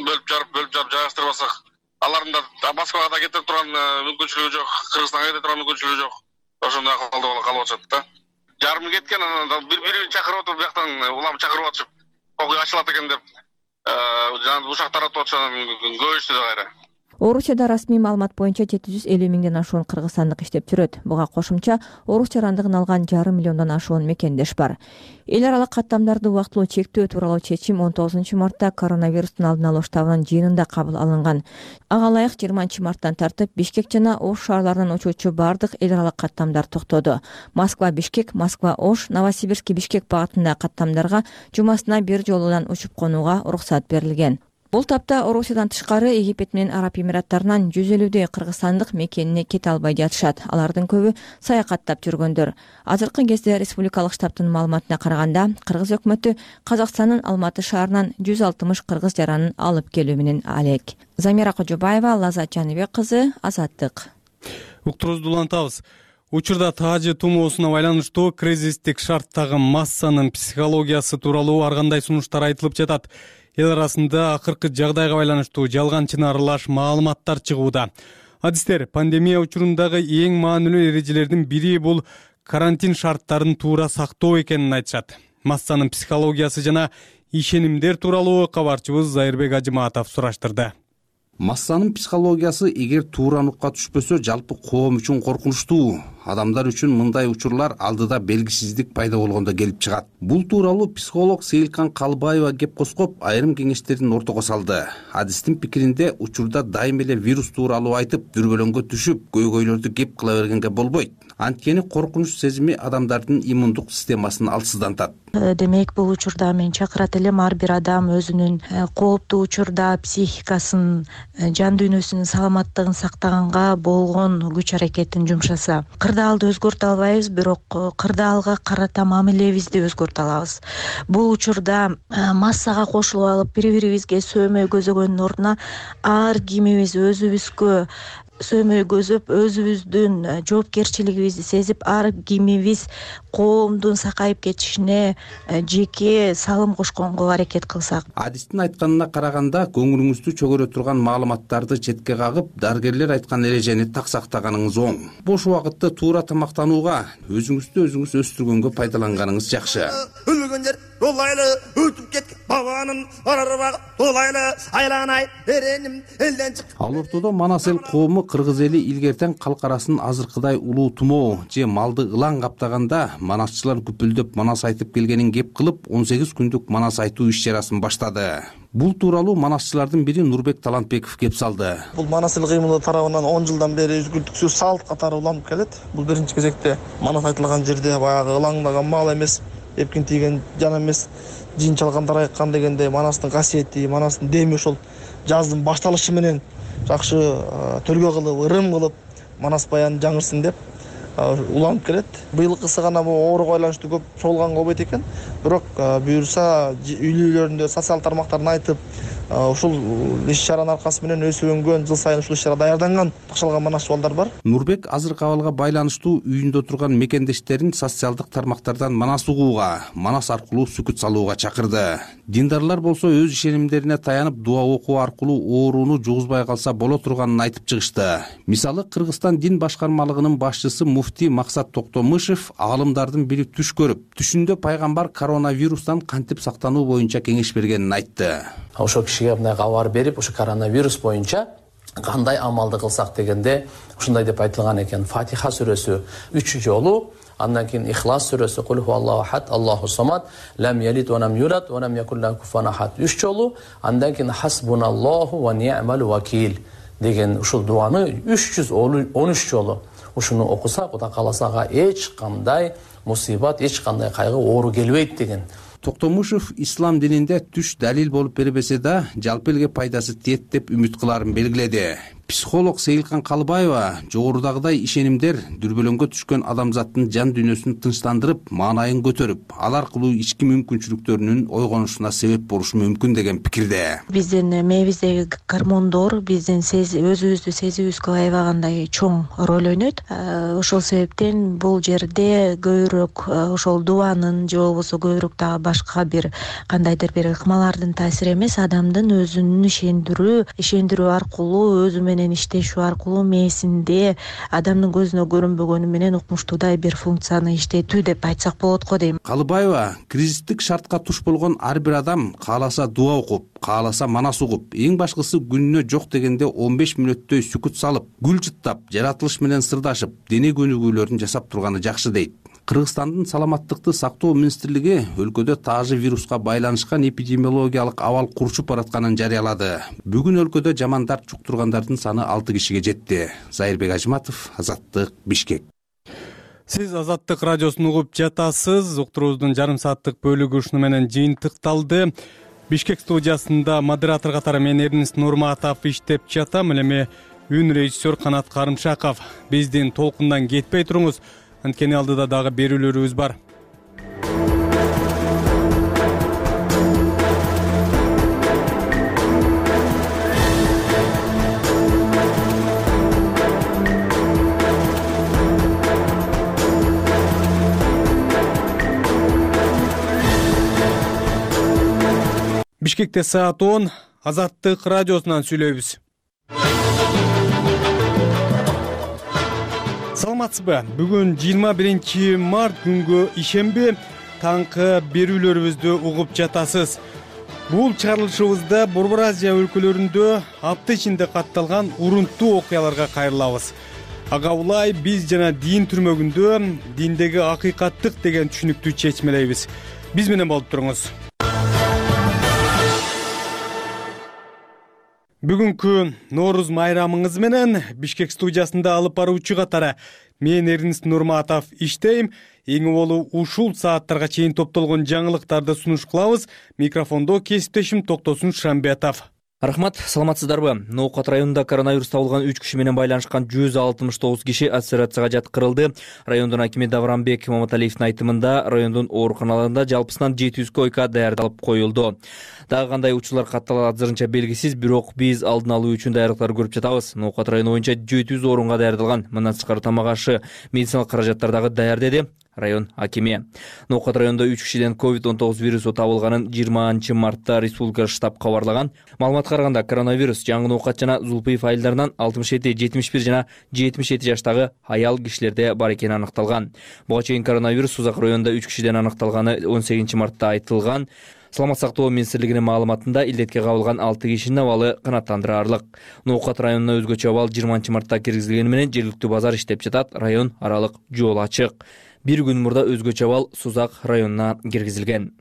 бөлүп жарып жайгаштырбасак, алардын да Москвага да кетип турган мүмкүнчүлүгү жок, Кыргызстанга кетип турган мүмкүнчүлүгү жок. Ошондой акалда калып атышат да. Жарымы кеткен, анан бири-бирин чакырып отуруп, бияктан улам чакырып атышып, окуй ачылат экен деп, жана ушак таратып атышат, көбөйүштү да кайра. Орусияда расмий маалымат боюнча 750 миңден ашуун кыргызстандык иштеп жүрөт. Буга кошумча орус жарандыгын алган 1,5 миллиондон ашуун мекендеш бар. Эл аралык каттамдарды убактылуу чектөө тууралуу чечим 19 мартта коронавирустун алдын алуу штабынын жыйынында кабыл алынган. Ага ылайык 20 марттан тартып Бишкек жана Ош шаарларынан учуучу бардык эл аралык каттамдар токтоду. Москва-Бишкек, Москва-Ош, Новосибирск-Бишкек багытындагы каттамдарга жумасына бир жолудан учуп конууга уруксат берилген. Бул тапта Орусиядан тышкары Египет менен Араб Эмираттарынан 150 кыргызстандык мекенине кете албай жатышат. Алардын көбү саякаттап жүргөндөр. Азыркы кезде республикалык штабтын маалыматына караганда, кыргыз өкмөтү Казакстандын Алматы шаарынан 160 кыргыз жаранын алып келүү менен алек. Замира Кожобаева, Лазат Жаныбек кызы, Азаттык. Уктурубузду улантабыз. Учурда таажы тумоосуна байланыштуу кризистик шарттагы массанын психологиясы тууралуу ар кандай сунуштар айтылып жатат. Эл арасында акыркы жагдайга байланыштуу жалган-чын аралаш маалыматтар чыгууда. Адистер пандемия учурундагы эң маанилүү эрежелердин бири бул карантин шарттарын туура сактоо экенин айтышат. Массанын психологиясы жана ишенимдер тууралуу кабарчыбыз Зайырбек Ажыматов сураштырды. Массанын психологиясы эгер туура нукка түшпөсө, жалпы коом үчүн коркунучтуу. Адамдар үчүн мындай учурлар алдыда белгисиздик пайда болгондо келип чыгат. Бул тууралуу психолог Сейилкан Калбаева кеп коскоп айрым кеңештерин ортого салды. Адистин пикиринде, учурда дайым эле вирус тууралуу айтып, дүрбөлөңгө түшүп, көйгөйлөрдү кеп кыла бергенге болбойт. Анткени коркунуч сезими адамдардын иммундук системасын алсыздантат. Демек, бул учурда мен чакырат элем ар бир адам өзүнүн кооптуу учурда психикасын, жан дүйнөсүнүн саламаттыгын сактаганга болгон күч аракетин жумшаса. Кырдаалды өзгөртө албайбыз, бирок кырдаалга карата мамилебизди өзгөртө алабыз. Бул учурда массага кошулуп алып, бири-бирибизге сөөмөй көзөгөндүн ордуна ар кимибиз өзүбүзгө сөөмөй көзөп, өзүбүздүн жоопкерчилигибизди сезип, ар кимибиз коомдун сакайып кетишине жеке салым кошконго аракет кылсак. Адистин айтканына караганда, көңүлүңүздү чөгөрө турган маалыматтарды четке кагып, дарыгерлер айткан эрежени так сактаганыңыз оң. Бош убакытты туура тамактанууга, өзүңүздү өзүңүз өстүргөнгө пайдаланганыңыз жакшы. Өлгөндөр долайлы өтүп кеткен бабанын арарбагы долайлы айланай эреним элден чык. Ал ортодо Манас эл коому кыргыз эли илгертен калкарасын азыркыдай улуу тумоо же малды ылаң каптаганда манасчылар күпүлдөп манас айтып келгенин кеп кылып 18 күндүк манас айтуу иш чарасын баштады. Бул тууралуу манасчылардын бири Нурбек Талантбеков кеп салды. Бул манас эл кыймылы тарабынан 10 жылдан бери үзгүлтүксүз салт катары уланып келет. Бул биринчи кезекте манас айтылган жерде баягы ылаңдаган мал эмес, эпкин тийген жан эмес, жин чалгандар айткан дегенде манастын касиети, манастын деми ошол жаздын башталышы менен жакшы төлгө кылып, ырым кылып манас баян жаңырсын деп уланып келет. Быйылкысы гана бул ооруга байланыштуу көп чогулган болбойт экен. Бирок буюрса үйлөрүндө социал тармактарын айтып, ушул иш-чаранын аркасы менен өсүп өнгөн, жыл сайын ушул иш-чара даярданган, башалган манасчы балдар бар. Нурбек азыркы абалга байланыштуу үйүндө турган мекендештерин социалдык тармактардан манас угууга, манас аркылуу сүкүт салууга чакырды. Диндарлар болсо өз ишенимдерине таянып дуа окуу аркылуу ооруну жугузбай калса боло турганын айтып чыгышты. Мисалы, Кыргызстан дин башкармалыгынын башчысы муфти Максат Токтомышев аалымдардын бири түш көрүп, түшүндө пайгамбар коронавирустан кантип сактануу боюнча кеңеш бергенин айтты. Ошо кишиге мындай кабар берип, ошо коронавирус боюнча кандай амалды кылсак дегенде ушундай деп айтылган экен. Фатиха сүрөсү 3 жолу, андан кийин Ихлас сүрөсү Кул хуаллаху ахад, Аллаху самад, лам ялид ва лам юлад ва лам якул лаху куфуан ахад 3 жолу, андан кийин Хасбуналлаху ва ни'мал вакил деген ушул дуаны 313 жолу ушуну окусак, Кудай кааласа эч кандай мусибат, эч кандай кайгы, оору келбейт деген. Токтомушев ислам дининде түш далил болуп бербесе да, жалпы элге пайдасы тиет деп үмүт кыларын белгиледи. Психолог Сейилкан Калбаева жогорудагыдай ишенимдер дүрбөлөңгө түшкөн адамзаттын жан дүйнөсүн тынчтандырып, маанайын көтөрүп, ал аркылуу ички мүмкүнчүлүктөрүнүн ойгонушуна себеп болушу мүмкүн деген пикирде. Биздин мээбиздеги гормондор биздин өзүбүздү сезүүбүзгө аябагандай чоң роль ойнойт. Ошол себептен бул жерде көбүрөөк ошол дубанын же болбосо көбүрөөк дагы башка бир кандайдыр бир ыкмалардын таасири эмес, адамдын өзүнүн ишендирүү аркылуу өзү менен иштешүү аркылуу мээсинде адамдын көзүнө көрүнбөгөнү менен укмуштуудай бир функцияны иштетүү деп айтсак болот го дейм. Калыбаева кризистик шартка туш болгон ар бир адам кааласа дуа окуп, кааласа манас угуп, эң башкысы күнүнө жок дегенде 15 мүнөттөй сүкүт салып, гүл жыттап, жаратылыш менен сырдашып, дене көнүгүүлөрүн жасап турганы жакшы дейт. Кыргызстандын саламаттыкты сактоо министрлиги өлкөдө таажы вируска байланышкан эпидемиологиялык абал курчуп баратканын жарыялады. Бүгүн өлкөдө жаман дарт жуктургандардын саны 6 кишиге жетти. Зайырбек Ажыматов, Азаттык, Бишкек. Сиз Азаттык радиосун угуп жатасыз. Уктуруубуздун жарым сааттык бөлүгү ушуну менен жыйынтыкталды. Бишкек студиясында модератор катары мен Эрнис Нурматов иштеп жатам. Эми үн режиссер Канат Карымшаков. Биздин толкундан кетпей туруңуз, анткени алдыда дагы берүүлөрүбүз бар. Бишкекте саат 10, Азаттык радиосунан сүйлөйбүз. Саламатсызбы? Бүгүн 21 март күнгө ишемби таңкы берүүлөрүбүздү угуп жатасыз. Бул чыгарылышыбызда Борбор Азия өлкөлөрүндө апта ичинде катталган урунттуу окуяларга кайрылабыз. Ага улай биз жана дин түрмөгүндө диндеги акыйкаттык деген түшүнүктү чечмелейбиз. Биз менен болуп туруңуз. Бүгүнкү Нооруз майрамыңыз менен Бишкек студиясында алып баруучу катары мен Эрнис Нурматов иштейм. Эң болу ушул сааттарга чейин топтолгон жаңылыктарды сунуш кылабыз. Микрофондо кесиптешим Токтосун Шамбетов. Рахмат, саламатсыздарбы? Ноокат районунда коронавирус табылган 3 киши менен байланышкан 169 киши изоляцияга жаткырылды. Райондун акими Давранбек Маматалиевдин айтымында райондун ооруканаларында жалпысынан 700 койка даярдалып коюлду. Дагы кандай учурлар катталат азырынча белгисиз, бирок биз алдын алуу үчүн даярдыктар көрүп жатабыз. Ноокат району боюнча 700 орунга даярдалган. Мындан тышкары тамак ашы, медициналык каражаттар дагы даяр деди район акими. Ноокат районунда 3 кишиден COVID-19 вирусу табылганын 20 мартта республика штаб кабарлаган. Маалыматка караганда коронавирус жаңы ноокат жана Зулпиев айылдарынан 67, 71 жана 77 жаштагы аял кишилерде бар экени аныкталган. Буга чейин коронавирус Сузак районунда 3 кишиден аныкталганы 18 мартта айтылган. Саламат сактоо министрлигинин маалыматында илдетке кабылган 6 кишинин абалы канааттандырарлык. Ноокат районуна өзгөчө абал 20 мартта киргизилгени менен жергиликтүү базар иштеп жатат. Район аралык жол ачык. Bir күн мурда өзгөчө абал Сузак районуна киргизилген.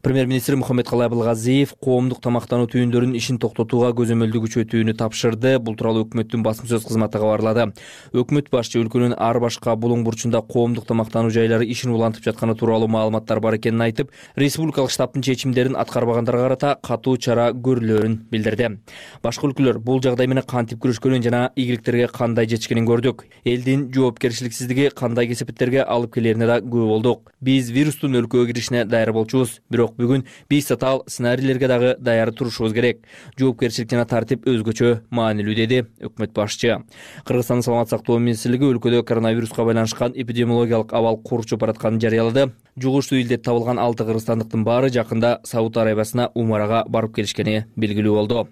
Премьер-министр Мухаммедкалый Абылгазиев коомдук тамактануу түйүндөрүнүн ишин токтотууга көзөмөлдү күчөтүүнү тапшырды. Бул тууралуу өкмөттүн басма сөз кызматы кабарлады. Өкмөт башчы өлкөнүн ар башка булуң бурчунда коомдук тамактануу жайлары ишин улантып жатканы тууралуу маалыматтар бар экенин айтып, республикалык штабтын чечимдерин аткарбагандарга карата катуу чара көрүлөрүн билдирди. Башка өлкөлөр бул жагдай менен кантип күрөшкөнүн жана ийгиликтерге кандай жетишкенин көрдүк. Элдин жоопкерчиликсиздиги кандай кесепеттерге алып келерине да күбө болдук. Биз вирустун өлкөгө киришине даяр болчубуз, бирок бүгүн биз татаал сценарийлерге дагы даяр турушубуз керек. Жоопкерчилик жана тартип өзгөчө маанилүү деди өкмөт башчы. Кыргызстандын саламат сактоо министрлиги өлкөдө коронавируска байланышкан эпидемиологиялык абал курчуп баратканын жарыялады. Жугуштуу илдет табылган 6 кыргызстандыктын баары жакында Сауд Арабиясына умарага барып келишкени белгилүү болду.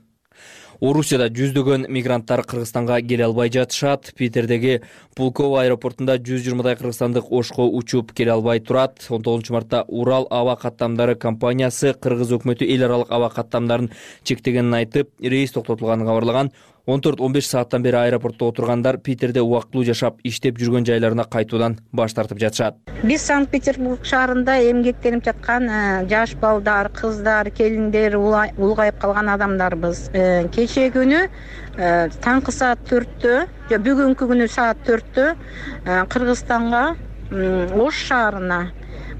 Орусияда жүздөгөн мигранттар Кыргызстанга келе албай жатышат. Питердеги Пулково аэропортунда 120дай кыргызстандык Ошко учуп келе албай турат. 19 мартта Урал аба каттамдары компаниясы Кыргыз өкмөтү эл аралык аба каттамдарын чектегенин айтып, рейс токтотулганын кабарлаган. 14-15 сааттан бери аэропортто отургандар Питерде убактылуу жашап, иштеп жүргөн жайларына кайтуудан баш тартып жатышат. Биз Санкт-Петербург шаарында эмгектенип жаткан жаш балдар, кыздар, келиндер, улгайып калган адамдарбыз. Кечээ күнү таңкы саат 4-тө, бүгүнкү күнү саат 4-тө Кыргызстанга Ош шаарына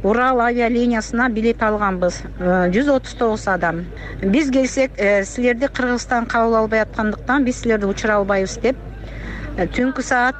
Урал авиалиниясына билет алганбыз. 139 адам. Биз келсек, силерди Кыргызстан кабыл албай аткандыктан биз силерди учура албайбыз деп түнкү саат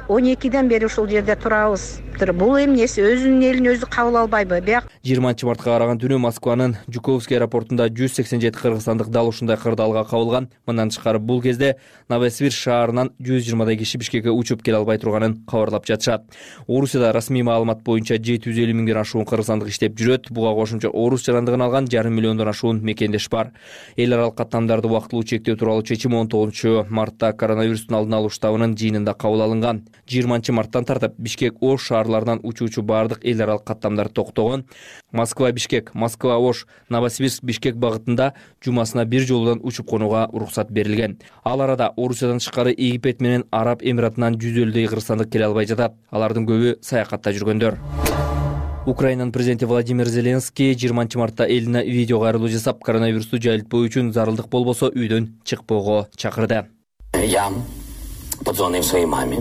12ден бери ушул жерде турабыз. Бул эмнеси, өзүнүн элин өзү кабыл албайбы? 20 мартка караган түнү Москванын Жуковский аэропортунда 187 кыргызстандык дал ушундай кырдаалга кабылган. Мындан тышкары бул кезде Новосибирск шаарынан 120дай киши Бишкекке учуп келе албай турганын кабарлап жатышат. Орусияда расмий маалымат боюнча 750 миңден ашуун кыргызстандык иштеп жүрөт. Буга кошумча орус жарандыгын алган 1,5 миллиондон ашуун мекендеш бар. Эл аралык каттамдарды убактылуу чектөө тууралуу чечим 19 мартта коронавирустун алдын алуу штабынын жыйынында кабыл алынган. 20 марттан тартып Бишкек Ош шаарларынан учуучу бардык эл аралык каттамдар токтогон. Москва Бишкек, Москва Ош, Новосибирск Бишкек багытында жумасына бир жолудан учуп конууга уруксат берилген. Ал арада Орусиядан тышкары Египет менен Араб Эмиратынан 150дөй кыргызстандык келе албай жатат. Алардын көбү саякатта жүргөндөр. Украинанын президенти Владимир Зеленский 20 мартта элине видео кайрылуу жасап, коронавирусту жайылтпоо үчүн зарылдык болбосо үйдөн чыкпоого чакырды. Я позвонил своей маме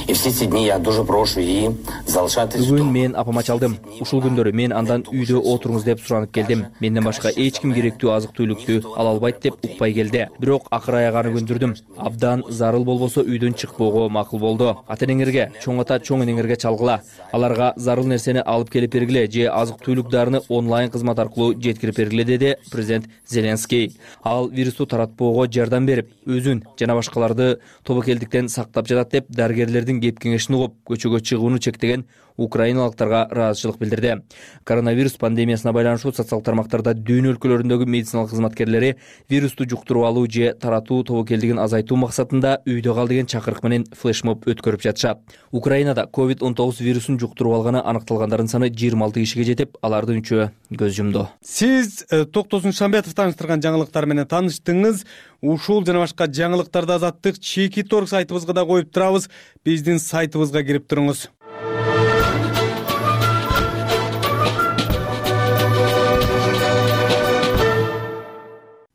И все эти дни я дуже прошу и залишати. Бүгүн мен апама чалдым. Ушул күндөрү мен андан үйдө отуруңуз деп суранып келдим. Менден башка эч ким керектүү азык-түлүктү ала албайт деп укпай келди. Бирок акыр аяганы көндүрдүм. Абдан зарыл болбосо үйдөн чыкпоого макул болду. Ата-энеңерге, чоң ата, чоң энеңерге чалгыла. Аларга зарыл нерсени алып келип бергиле же азык-түлүк дарыны онлайн кызмат аркылуу жеткирип бергиле деди президент Зеленский. Ал вирусту таратпоого жардам берип, өзүн жана башкаларды тобокелдиктен сактап жатат деп дарыгерлердин кеп кеңешин угуп, көчөгө чыгууну чектеген украиналыктарга ыраазычылык билдирди. Коронавирус пандемиясына байланыштуу социалдык тармактарда дүйнө өлкөлөрүндөгү медициналык кызматкерлери вирусту жуктуруп алуу же таратуу тобокелдигин азайтуу максатында үйдө кал деген чакырык менен флешмоб өткөрүп жатышат. Украинада COVID-19 вирусун жуктуруп алганы аныкталгандардын саны 26 кишиге жетип, алардын 3-өө көз жумду. Сиз Токтосун Шамбетов тааныштырган жаңылыктар менен тааныштыңыз. Ушул жана башка жаңылыктарды Азаттык Чекит.org сайтыбызга да коюп турабыз. Биздин сайтыбызга кирип туруңуз.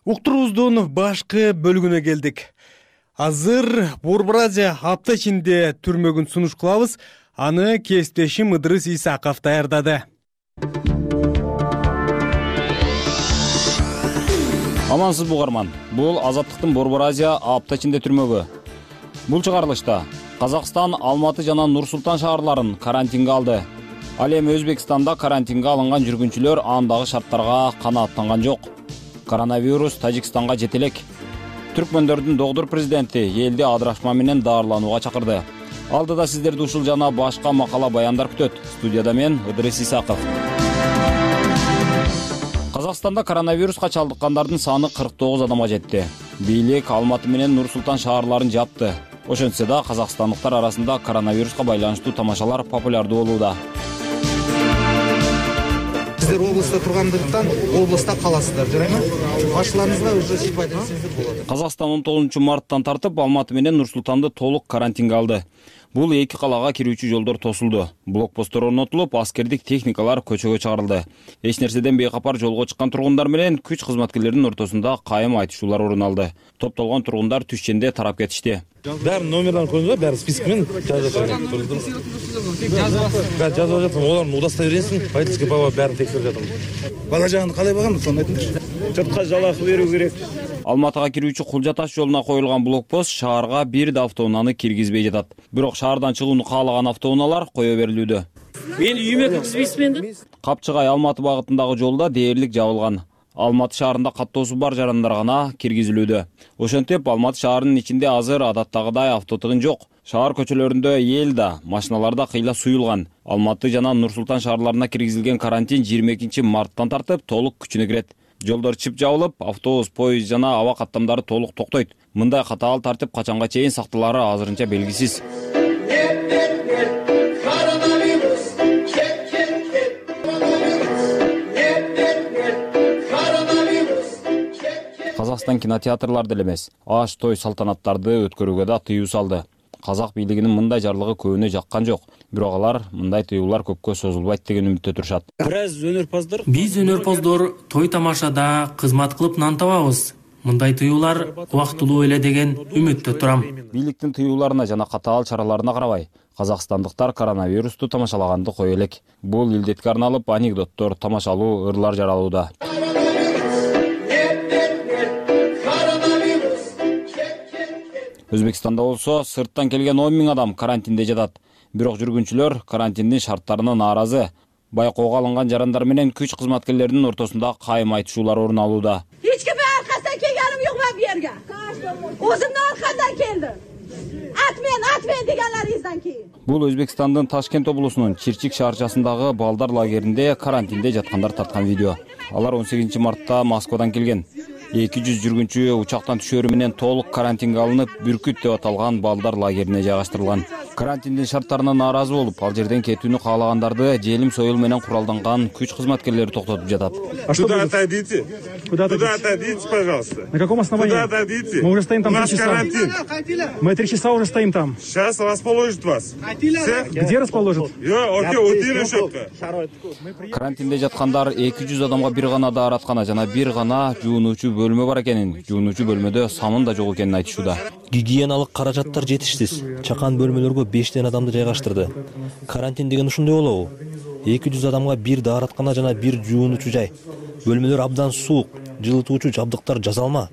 Уктуруубуздун башкы бөлүгүнө келдик. Азыр Борбор Азия апта ичинде түрмөгүн сунуш кылабыз. Аны кесиптешим Ыдырыс Исаков даярдады. Амансыз бугарман. Бул Азаттыктын Борбор Азия апта ичинде түрмөгү. Бул чыгарылышта Казакстан, Алматы жана Нур-Султан шаарларын карантинге алды. Ал эми Өзбекстанда карантинге алынган жүргүнчүлөр андагы шарттарга канааттанган жок. Коронавирус Тажикстанга жетелек. Түркмөндөрдүн догдур президенти элди адырашма менен даарыланууга чакырды. Алдыда сиздерди ушул жана башка макала баяндар күтөт. Студияда мен Ыдырыс Исаков. Казакстанда коронавируска чалдыккандардын саны 49 адамга жетти. Бийлик Алматы менен Нур-Султан шаарларын жапты. Ошентсе да казакстандыктар арасында коронавируска байланыштуу тамашалар популярдуу болууда. Сиздер областа тургандыктан областа каласыздар, жарайбы? Башчыларыңызга уже шифа берсеңиздер болот. Казакстан 19 марттан тартып Алматы менен Нур-Султанды толук карантинге алды. Бул эки калага кирүүчү жолдор тосулду. Блокпосттор орнотулуп, аскердик техникалар көчөгө чыгарылды. Эч нерседен бейкапар жолго чыккан тургундар менен күч кызматкерлеринин ортосунда кайым айтышуулар орун алды. Топтолгон тургундар түшченде тарап кетишти. Бәрін номерларын қойыңыздар, бәрі спискімен жазып жатырмын. Бәрі жазып жатырмын, олардың удостоверениесін водительский права бәрін тексеріп жатырмын. Бала жағында қалай бағамын, соны айтыңызшы. Жұртқа жалақы беру керек. Алматыга кирүүчү Кулжа таш жолуна коюлган блокпост шаарга бир да автоунааны киргизбей жатат. Бирок шаардан чыгууну каалаган автоунaalар кое берилүүдө. Мен үйүмө киргизбейсизби энди? Капчыгай Алматы багытындагы жолда дээрлик жабылган. Алматы шаарында каттоосу бар жарандар гана киргизилүүдө. Ошентип Алматы шаарынын ичинде азыр адаттагыдай автотыгын жок. Шаар көчөлөрүндө эл да, машиналар да кыйла суюлган. Алматы жана Нур-Султан шаарларына киргизилген карантин 22 марттан тартып толук күчүнө кирет. Жолдор чып жабылып, автобус, поезд жана аба каттамдары толук токтойт. Мындай катаал тартип качанга чейин сакталаары азырынча белгисиз. Казакстан кинотеатрларды эле эмес, аш той салтанаттарды өткөрүүгө да тыюу салды. Казак бийлигинин мындай жарлыгы көбүнө жаккан жок. Бирок алар мындай тыюулар көпкө созулбайт деген үмүттө турушат. Биз өнөрпоздор той тамашада кызмат кылып нан табабыз. Мындай тыюулар убактылуу эле деген үмүттө турам. Бийликтин тыюуларына жана катаал чараларына карабай, казакстандыктар коронавирусту тамашалаганды кое элек. Бул илдетке арналып анекдоттор, тамашалуу ырлар жаралууда. Өзбекстанда болсо сырттан келген 10 000 адам карантинде жатат. Бирок жүргүнчүлөр карантиндин шарттарына нааразы. Байкоого алынган жарандар менен күч кызматкерлеринин ортосунда кайым айтышуулар орун алууда. Эч кимге аркасынан келгеним жок мен бу жерге. Өзүмдүн аркамдан келдим. Атмен дегенлеринизден кийин. Бул Өзбекстандын Ташкент облусунун Чирчик шаарчасындагы балдар лагеринде карантинде жаткандар тарткан видео. Алар 18 мартта Москвадан келген. 200 жүргүнчү учактан түшөрү менен толук карантинге алынып, Бүркүт деп аталган балдар лагерине жайгаштырылган. Карантиндин шарттарына нааразы болуп, ал жерден кетүүнү каалагандарды желим союл менен куралданган күч кызматкерлери токтотуп жатат. Куда отойдите? Куда отойдите, пожалуйста? На каком основании? Куда отойдите? Мы уже стоим там 3 часа. Мы 3 часа уже стоим там. Сейчас расположит вас. Где расположит? Карантинде жаткандар 200 адамга бир гана даараткана жана бир гана жуунуучу бөлмө бар экенин, жуунуучу бөлмөдө самын да жок экенин айтышууда. Гигиеналык каражаттар жетишсиз. Чакан бөлмөлөргө бөлмөгө 5 адамды жайгаштырды. Карантин деген ушундай болобу? 200 адамга бир даараткана жана бир жуунуучу жай. Бөлмөлөр абдан суук, жылытуучу жабдыктар жасалма.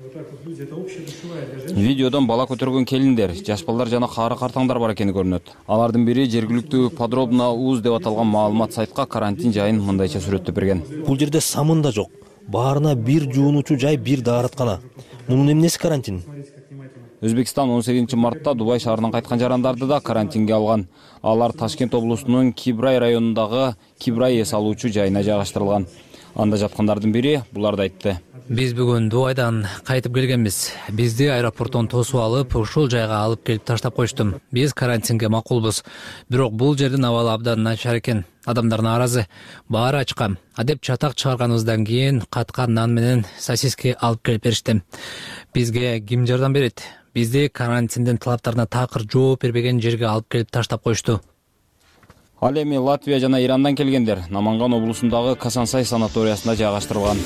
Видеодон бала көтөргөн келиндер, жаш балдар жана кары картаңдар бар экени көрүнөт. Алардын бири жергиликтүү подробно уз деп аталган маалымат сайтка карантин жайын мындайча сүрөттөп берген. Бул жерде самын да жок. Баарына бир жуунуучу жай, бир даараткана. Мунун эмнеси карантин? Өзбекстан 18 мартта Дубай шаарынан кайткан жарандарды да карантинге алган. Алар Ташкент облусунун Кибрай районундагы Кибрай эс алуучу жайына жайгаштырылган. Анда жаткандардын бири буларды айтты. Биз бүгүн Дубайдан кайтып келгенбиз. Бизди аэропорттон тосуп алып, ушул жайга алып келип таштап коюшту. Биз карантинге макулбуз. Бирок бул жердин абалы абдан начар экен. Адамдар нааразы. Баары ачка. Адеп чатак чыгарганыбыздан кийин каткан нан менен сосиски алып келип беришти. Бизге ким жардам берет? Бизди карантиндин талаптарына такыр жооп бербеген жерге алып келип таштап коюшту. Ал эми Латвия жана Ирандан келгендер Наманган облусундагы Касансай санаториясында жайгаштырылган.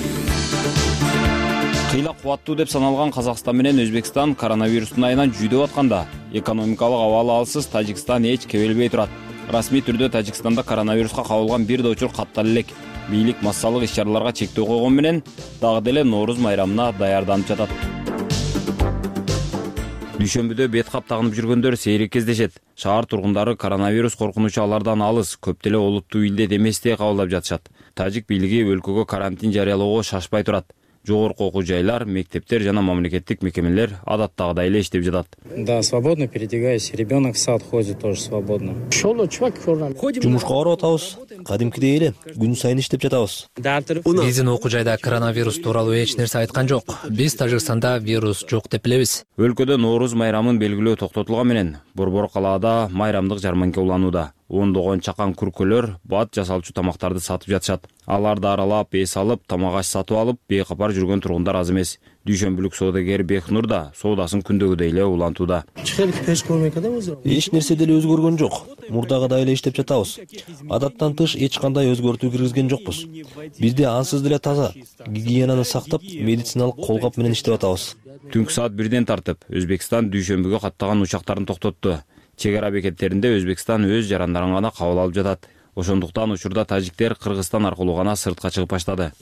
Кыйла кубаттуу деп саналган Казакстан менен Өзбекстан коронавирустун айынан жүйдөп атканда, экономикалык абалы алсыз Тажикстан эч кебелбей турат. Расмий түрдө Тажикстанда коронавируска кабылган бир да учур каттала элек. Бийлик массалык иш-чараларга чектөө койгон менен дагы деле Нооруз майрамына даярданып жатат. Дүйшөмбүдө бет кап тагынып жүргөндөр сейрек кездешет. Шаар тургундары коронавирус коркунучу алардан алыс, көп деле олуттуу илдет эместей кабылдап жатышат. Тажик бийлиги өлкөгө карантин жарыялоого шашпай турат. Жогорку окуу жайлар, мектептер жана мамлекеттик мекемелер адаттагыдай эле иштеп жатат. Да, свободно передвигаюсь. Ребенок в сад ходит тоже свободно. Жумушка барып атабыз. Кадимкидей эле күн сайын иштеп жатабыз. Биздин окуу жайда коронавирус тууралуу эч нерсе айткан жок. Биз Тажикстанда вирус жок деп билебиз. Өлкөдө Нооруз майрамын белгилөө токтотулган менен Борбор калаада майрамдык жарманка уланууда. Ондогон чакан күркөлөр бат жасалчу тамактарды сатып жатышат. Аларды аралап, эс алып, тамак аш сатып алып, бейкапар жүргөн тургундар аз эмес. Дүйшөмбүлүк соодагер Бехнур да соодасын күндөгүдөй эле улантууда. Эч нерсе деле өзгөргөн жок. Мурдагыдай эле иштеп жатабыз. Адаттан тыш эч кандай өзгөртүү киргизген жокпуз. Бизде ансыз деле таза, гигиенаны сактап, медициналык колгап менен иштеп атабыз. Түнкү саат 1ден тартып, Өзбекстан Дүйшөмбүгө каттаган учактарын токтотту. Чек ара бекеттеринде Өзбекстан өз жарандарын гана кабыл алып жатат. Ошондуктан учурда тажиктер Кыргызстан аркылуу гана сыртка чыгып баштады.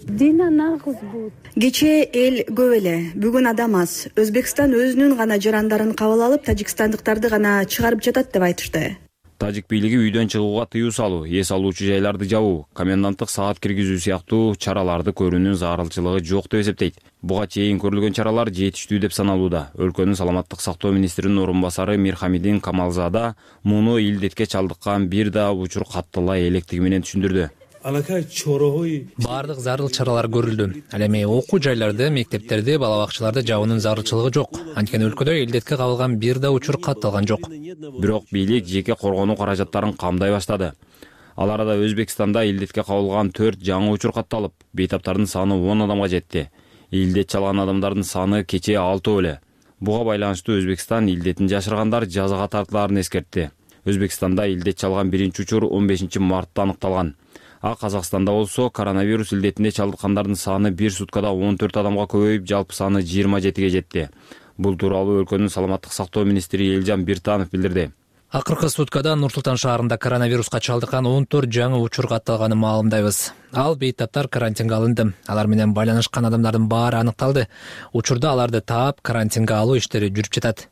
Кечээ эл көп эле, бүгүн адам аз. Өзбекстан өзүнүн гана жарандарын кабыл алып, тажикстандыктарды гана чыгарып жатат деп айтышты. Тажик бийлиги үйдөн чыгууга тыюу салуу, эс алуучу жайларды жабуу, коменданттык саат киргизүү сыяктуу чараларды көрүүнүн зарылчылыгы жок деп эсептейт. Буга чейин көрүлгөн чаралар жетиштүү деп саналууда. Өлкөнүн саламаттык сактоо министринин орун басары Мирхамидин Камалзада муну илдетке чалдыккан бир да учур каттала электиги менен түшүндүрдү. Бардык зарыл чаралар көрүлдү. Ал эми окуу жайларды, мектептерди, бала бакчаларды жабуунун зарылчылыгы жок. Анткени өлкөдө илдетке кабылган бир да учур катталган жок. Бирок бийлик жеке коргонуу каражаттарын камдай баштады. Ал арада Өзбекстанда илдетке кабылган 4 жаңы учур катталып, бейтаптардын саны 10 адамга жетти. Илдет чалган адамдардын саны кечээ 6 эле. Буга байланыштуу Өзбекстан илдетин жашыргандар жазага тартылаарын эскертти. Өзбекстанда илдет чалган биринчи учур 15 мартта аныкталган. А Казакстанда болсо коронавирус илдетине чалдыккандардын саны бир суткада 14 адамга көбөйүп, жалпы саны 27ге жетти. Бул тууралуу өлкөнүн саламаттык сактоо министри Элжан Биртанов билдирди. Акыркы суткада Нур Султан шаарында коронавируска чалдыккан 14 жаңы учур катталганын маалымдайбыз. Ал бейтаптар карантинге алынды. Алар менен байланышкан адамдардын баары аныкталды. Учурда аларды таап карантинге алуу иштери жүрүп жатат.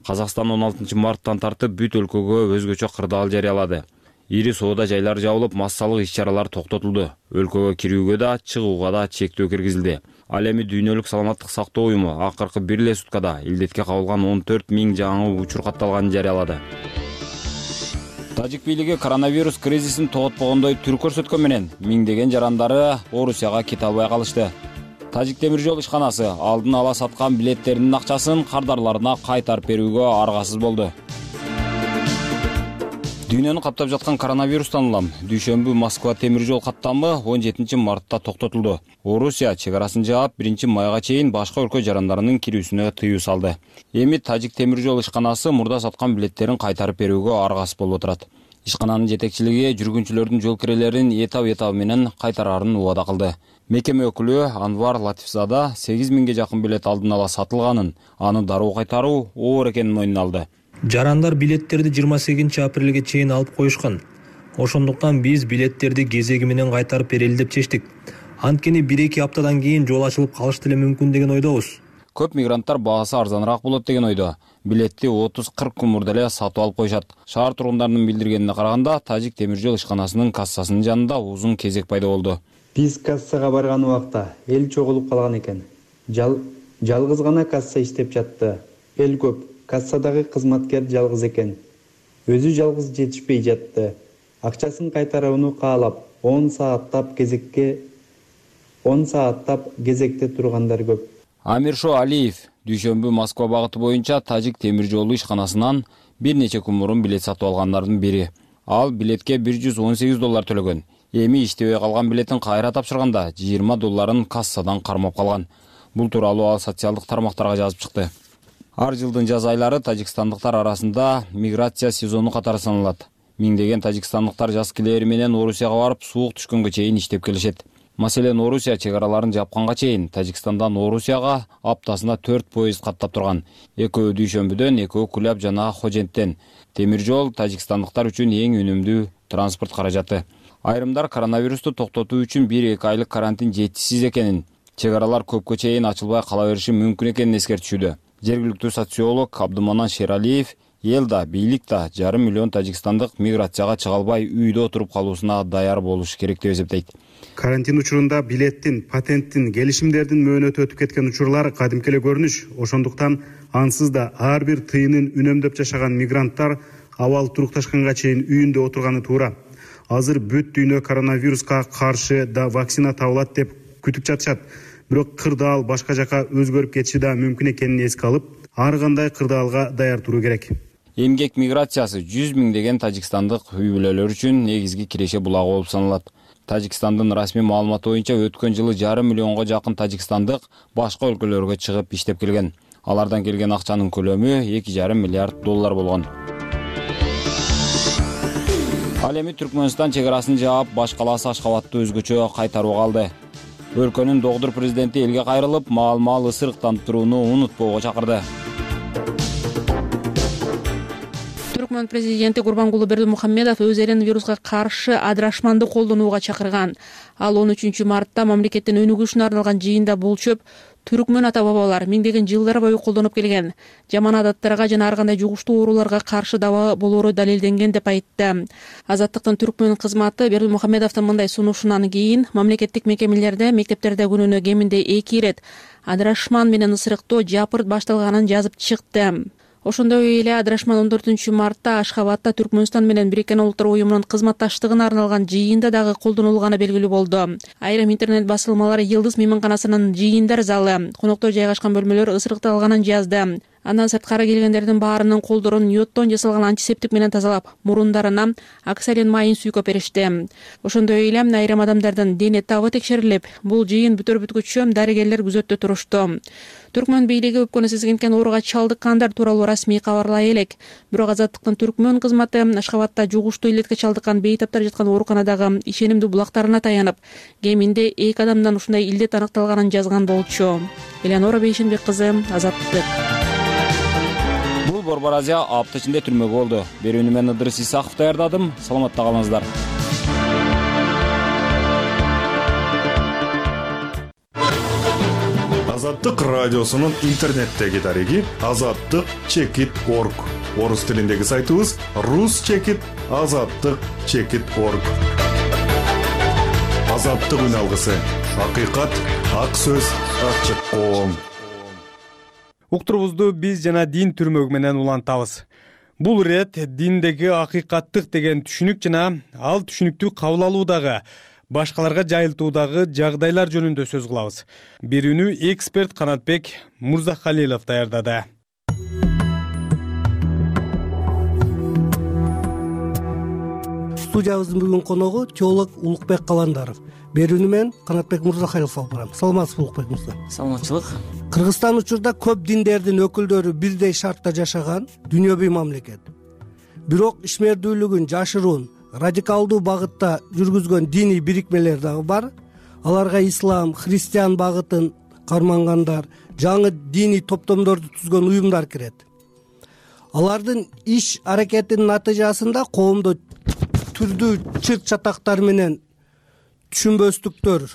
Казакстан 16 марттан тартып бүт өлкөгө өзгөчө кырдаал жарыялады. Ири соода жайлар жабылып, массалык иш-чаралар токтотулду. Өлкөгө кирүүгө да, чыгууга да чектөө киргизилди. Ал эми Дүйнөлүк саламаттык сактоо уюму акыркы бир эле суткада илдетке кабылган 14 000 жаңы учур катталганын жарыялады. Тажик бийлиги коронавирус кризисин тоготпогондой түр көрсөткөн менен миңдеген жарандары Орусияга кете албай калышты. Тажик темир жол ишканасы алдын ала саткан билеттеринин акчасын кардарларына кайтарып берүүгө аргасыз болду. Дүйнөнү каптап жаткан коронавирустан улам Дүйшөмбү Москва темир жол каттамы 17 мартта токтотулду. Орусия чек арасын жаап 1 майга чейин башка өлкө жарандарынын кирүүсүнө тыюу салды. Эми Тажик темир жол ишканасы мурда саткан билеттерин кайтарып берүүгө аргасыз болуп отурат. Ишкананын жетекчилиги жүргүнчүлөрдүн жол кирелерин этап менен кайтарарын убада кылды. Мекеме өкүлү Анвар Латифзада 8000ге жакын билет алдын ала сатылганын, аны дароо кайтаруу оор экенин мойнуна алды. Жарандар билеттерди 28 апрелге чейин алып коюшкан. Ошондуктан биз билеттерди кезеги менен кайтарып берели деп чечтик. Анткени 1-2 аптадан кийин жол ачылып калышы деле мүмкүн деген ойдобуз. Көп мигранттар баасы арзаныраак болот деген ойдо. Билетти 30-40 күн мурда эле сатып алып коюшат. Шаар тургундарынын билдиргенине караганда, Тажик темир жол ишканасынын кассасынын жанында узун кезек пайда болду. Биз кассага барган убакта эл чогулуп калган экен. Жалгыз гана касса иштеп жатты. Эл көп. Кассадагы кызматкер жалгыз экен. Өзү жалгыз жетишпей жатты. Акчасын кайтарууну каалап 10 сааттап кезекте тургандар көп. Амиршо Алиев дүйшөмбү Москва багыты боюнча Тажик темир жолу ишканасынан бир нече күн мурун билет сатып алгандардын бири. Ал билетке $118 төлөгөн. Эми иштебей калган билетин кайра тапшырганда $20 кассадан кармап калган. Бул тууралуу ал социалдык тармактарга жазып чыкты. Ар жылдын жаз айлары тажикстандыктар арасында миграция сезону катары саналат. Миңдеген тажикстандыктар жаз килери менен Орусияга барып, суук түшкөнгө чейин иштеп келишет. Маселен, Орусия чегараларын жапканга чейин Тажикстандан Орусияга аптасына 4 поезд каттап турган. Экөө дүйшөмбүдөн, экөө Куляб жана Хоженттен. Темир жол тажикстандыктар үчүн эң үнөмдүү транспорт каражаты. Айрымдар коронавирусту токтотуу үчүн 1-2 айлык карантин жетишсиз экенин, чегаралар көпкө чейин ачылбай кала бериши мүмкүн экенин эскертишүүдө. Жергиликтүү социолог Абдуманан Шералиев эл да, бийлик да 500 000 тажикстандык миграцияга чыга албай үйдө отуруп калуусуна даяр болуш керек деп эсептейт. Карантин учурунда билеттин, патенттин, келишимдердин мөөнөтү өтүп кеткен учурлар кадимки эле көрүнүш. Ошондуктан ансыз да ар бир тыйынын үнөмдөп жашаган мигранттар абал турукташканга чейин үйүндө отурганы туура. Азыр бүт дүйнө коронавируска каршы да вакцина табылат деп күтүп жатышат. Бирок кырдаал башка жака өзгөрүп кетиши да мүмкүн экенин эске алып, ар кандай кырдаалга даяр туруу керек. Эмгек миграциясы 100 миңдеген тажикстандык үй бүлөлөр үчүн негизги киреше булагы болуп саналат. Тажикстандын расмий маалыматы боюнча өткөн жылы 500 000 жакын тажикстандык башка өлкөлөргө чыгып иштеп келген. Алардан келген акчанын көлөмү $2,5 миллиард болгон. Ал эми Түркмөнстан чегарасын жаап, баш калаасы Ашхабадты өзгөчө кайтарууга алды. Өлкөнүн догдур президенти элге кайрылып, маал-маал ысырыктанып турууну унутпоого чакырды. Түркмөн президенти Гурбангулы Бердимухамедов өз элин вируска каршы адырашманды колдонууга чакырган. Ал 13 мартта мамлекеттин өнүгүшүнө арналган жыйында бул чөп түркмөн ата бабалар миңдеген жылдар бою колдонуп келген жаман адаттарга жана ар кандай жугуштуу ооруларга каршы даба болоору далилденген деп айтты. Азаттыктын түркмөн кызматы Бердимухамедовдун мындай сунушунан кийин мамлекеттик мекемелерде, мектептерде күнүнө кеминде 2 ирет адырашман менен ысырыктоо жапырт башталганын жазып чыкты. Ошондой эле адырашман 14 мартта Ашхабадта Түркмөнстан менен Бириккен Улуттар уюмунун кызматташтыгына арналган жыйында дагы колдонулганы белгилүү болду. Айрым интернет басылмалар Йылдыз мейманканасынын жыйындар залы, коноктор жайгашкан бөлмөлөр ысырыкталганын жазды. Андан сырткары келгендердин баарынын колдорун йоддон жасалган антисептик менен тазалап, мурундарына оксалин майын сүйкөп беришти. Ошондой эле айрым адамдардын дене табы текшерилип, бул жыйын бүтөр бүткүчө дарыгерлер күзөттө турушту. Түркмөн бийлиги өпкөнү сезгенкен ооруга чалдыккандар тууралуу расмий кабарлай элек. Бирок Азаттыктын түркмөн кызматы Ашхабадта жугуштуу илетке чалдыккан бейтаптар жаткан ооруканадагы ишенимдүү булактарына таянып, кеминде 2 адамдан ушундай илдет аныкталганын жазган болчу. Элеонора Бейшенбек кызы, Азаттык. Бул Борбор Азия апта ичинде түрмөгө болду. Берүүнү мен Ыдырыс Исаков даярдадым. Саламатта калыңыздар. Азаттык радиосунун интернеттеги дареги azattyk.org. Орус тилиндеги сайтыбыз rus.azattyk.org. Азаттык үн алгысы. Акыйкат, ак сөз, ачык коом. Уктурубузду биз жана дин түрмөгү менен улантабыз. Бул ирет диндеги акыйкаттык деген түшүнүк жана ал түшүнүктү кабыл алуудагы, башкаларга жайылтуудагы жагдайлар жөнүндө сөз кылабыз. Берүүнү эксперт Канатбек Мурзахалилов даярдады. Студиябыздын бүгүнкү коногу теолог Улукбек Каландаров. Берүүнү мен Канатбек Мурзахалилов алып барам. Саламатсызбы Улукбек мырза? Саламатчылык. Кыргызстан учурда көп диндердин өкүлдөрү бирдей шартта жашаган дүйнөбүй мамлекет. Бирок ишмердүүлүгүн жашыруун, радикалдуу багытта жүргүзгөн диний бирикмелер дагы бар. Аларга ислам, христиан багытын кармангандар, жаңы диний топтомдорду түзгөн уюмдар кирет. алардын иш аракетинин натыйжасында коомдо түрдүү чырт чатактар менен түшүнбөстүктөр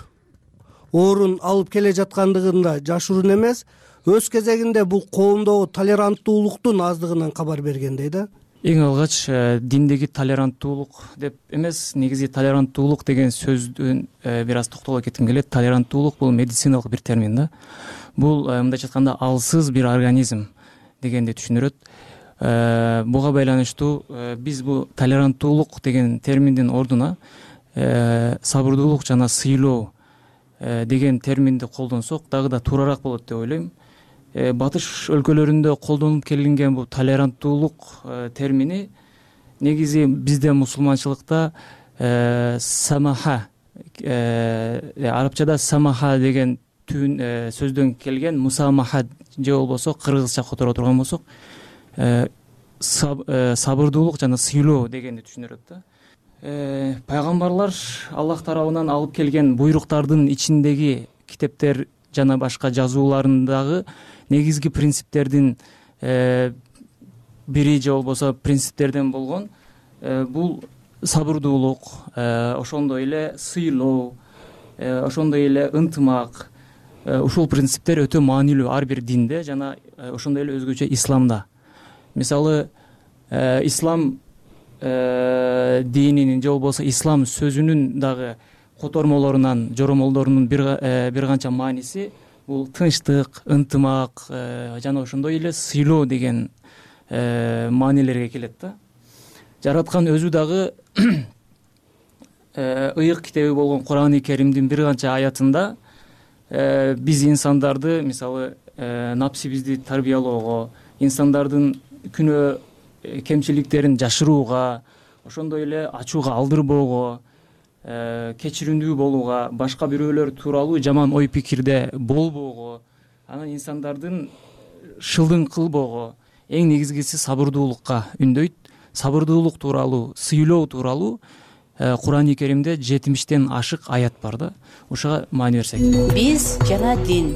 орун алып келе жаткандыгын да жашыруун эмес. Өз кезегинде бул коомдогу толеранттуулуктун аздыгынан кабар бергендей да. Эң алгач диндеги толеранттуулук деп эмес, негизи толеранттуулук деген сөздүн бир аз токтоло кетким келет. Толеранттуулук бул медициналык бир термин да. Бул мындайча айтканда алсыз бир организм дегенди түшүндүрөт. Буга байланыштуу биз бул толеранттуулук деген терминдин ордуна сабырдуулук жана сыйлоо деген терминди колдонсок дагы да туурараак болот деп ойлойм. Батыш өлкөлөрүндө колдонуп келинген бул толеранттуулук термини негизи бизде мусулманчылыкта самаха, арабчада самаха деген сөздөн келген, мусамаха же болбосо кыргызча которо турган болсок сабырдуулук жана сыйлоо дегенди түшүндүрөт да. Пайгамбарлар Аллах тарабынан алып келген буйруктардын ичиндеги китептер жана башка жазууларындагы негизги принциптердин бири же болбосо принциптерден болгон бул сабырдуулук, ошондой эле сыйлоо, ошондой эле ынтымак, ушул принциптер өтө маанилүү ар бир динде жана ошондой эле өзгөчө исламда. Мисалы ислам дининин же болбосо ислам сөзүнүн дагы котормолорунан, жоромолдорунун бир канча мааниси бул тынчтык, ынтымак жана ошондой эле сыйлоо деген маанилерге келет да. Жараткан өзү дагы ыйык китеби болгон Куран-ы Керимдин бир канча аятында биз инсандарды, мисалы напсибизди тарбиялоого, инсандардын күнөө кемчиликтерин жашырууга, ошондой эле ачууга алдырбоого, кечиримдүү болууга, башка бирөөлөр тууралуу жаман ой пикирде болбоого, анан инсандардын шылдың кылбоого, эң негизгиси сабырдуулукка үндөйт. Сабырдуулук тууралуу, сыйлоо тууралуу Куран-ы Керимде 70тен ашык аят бар да. Ушуга маани берсек. Биз жана дин.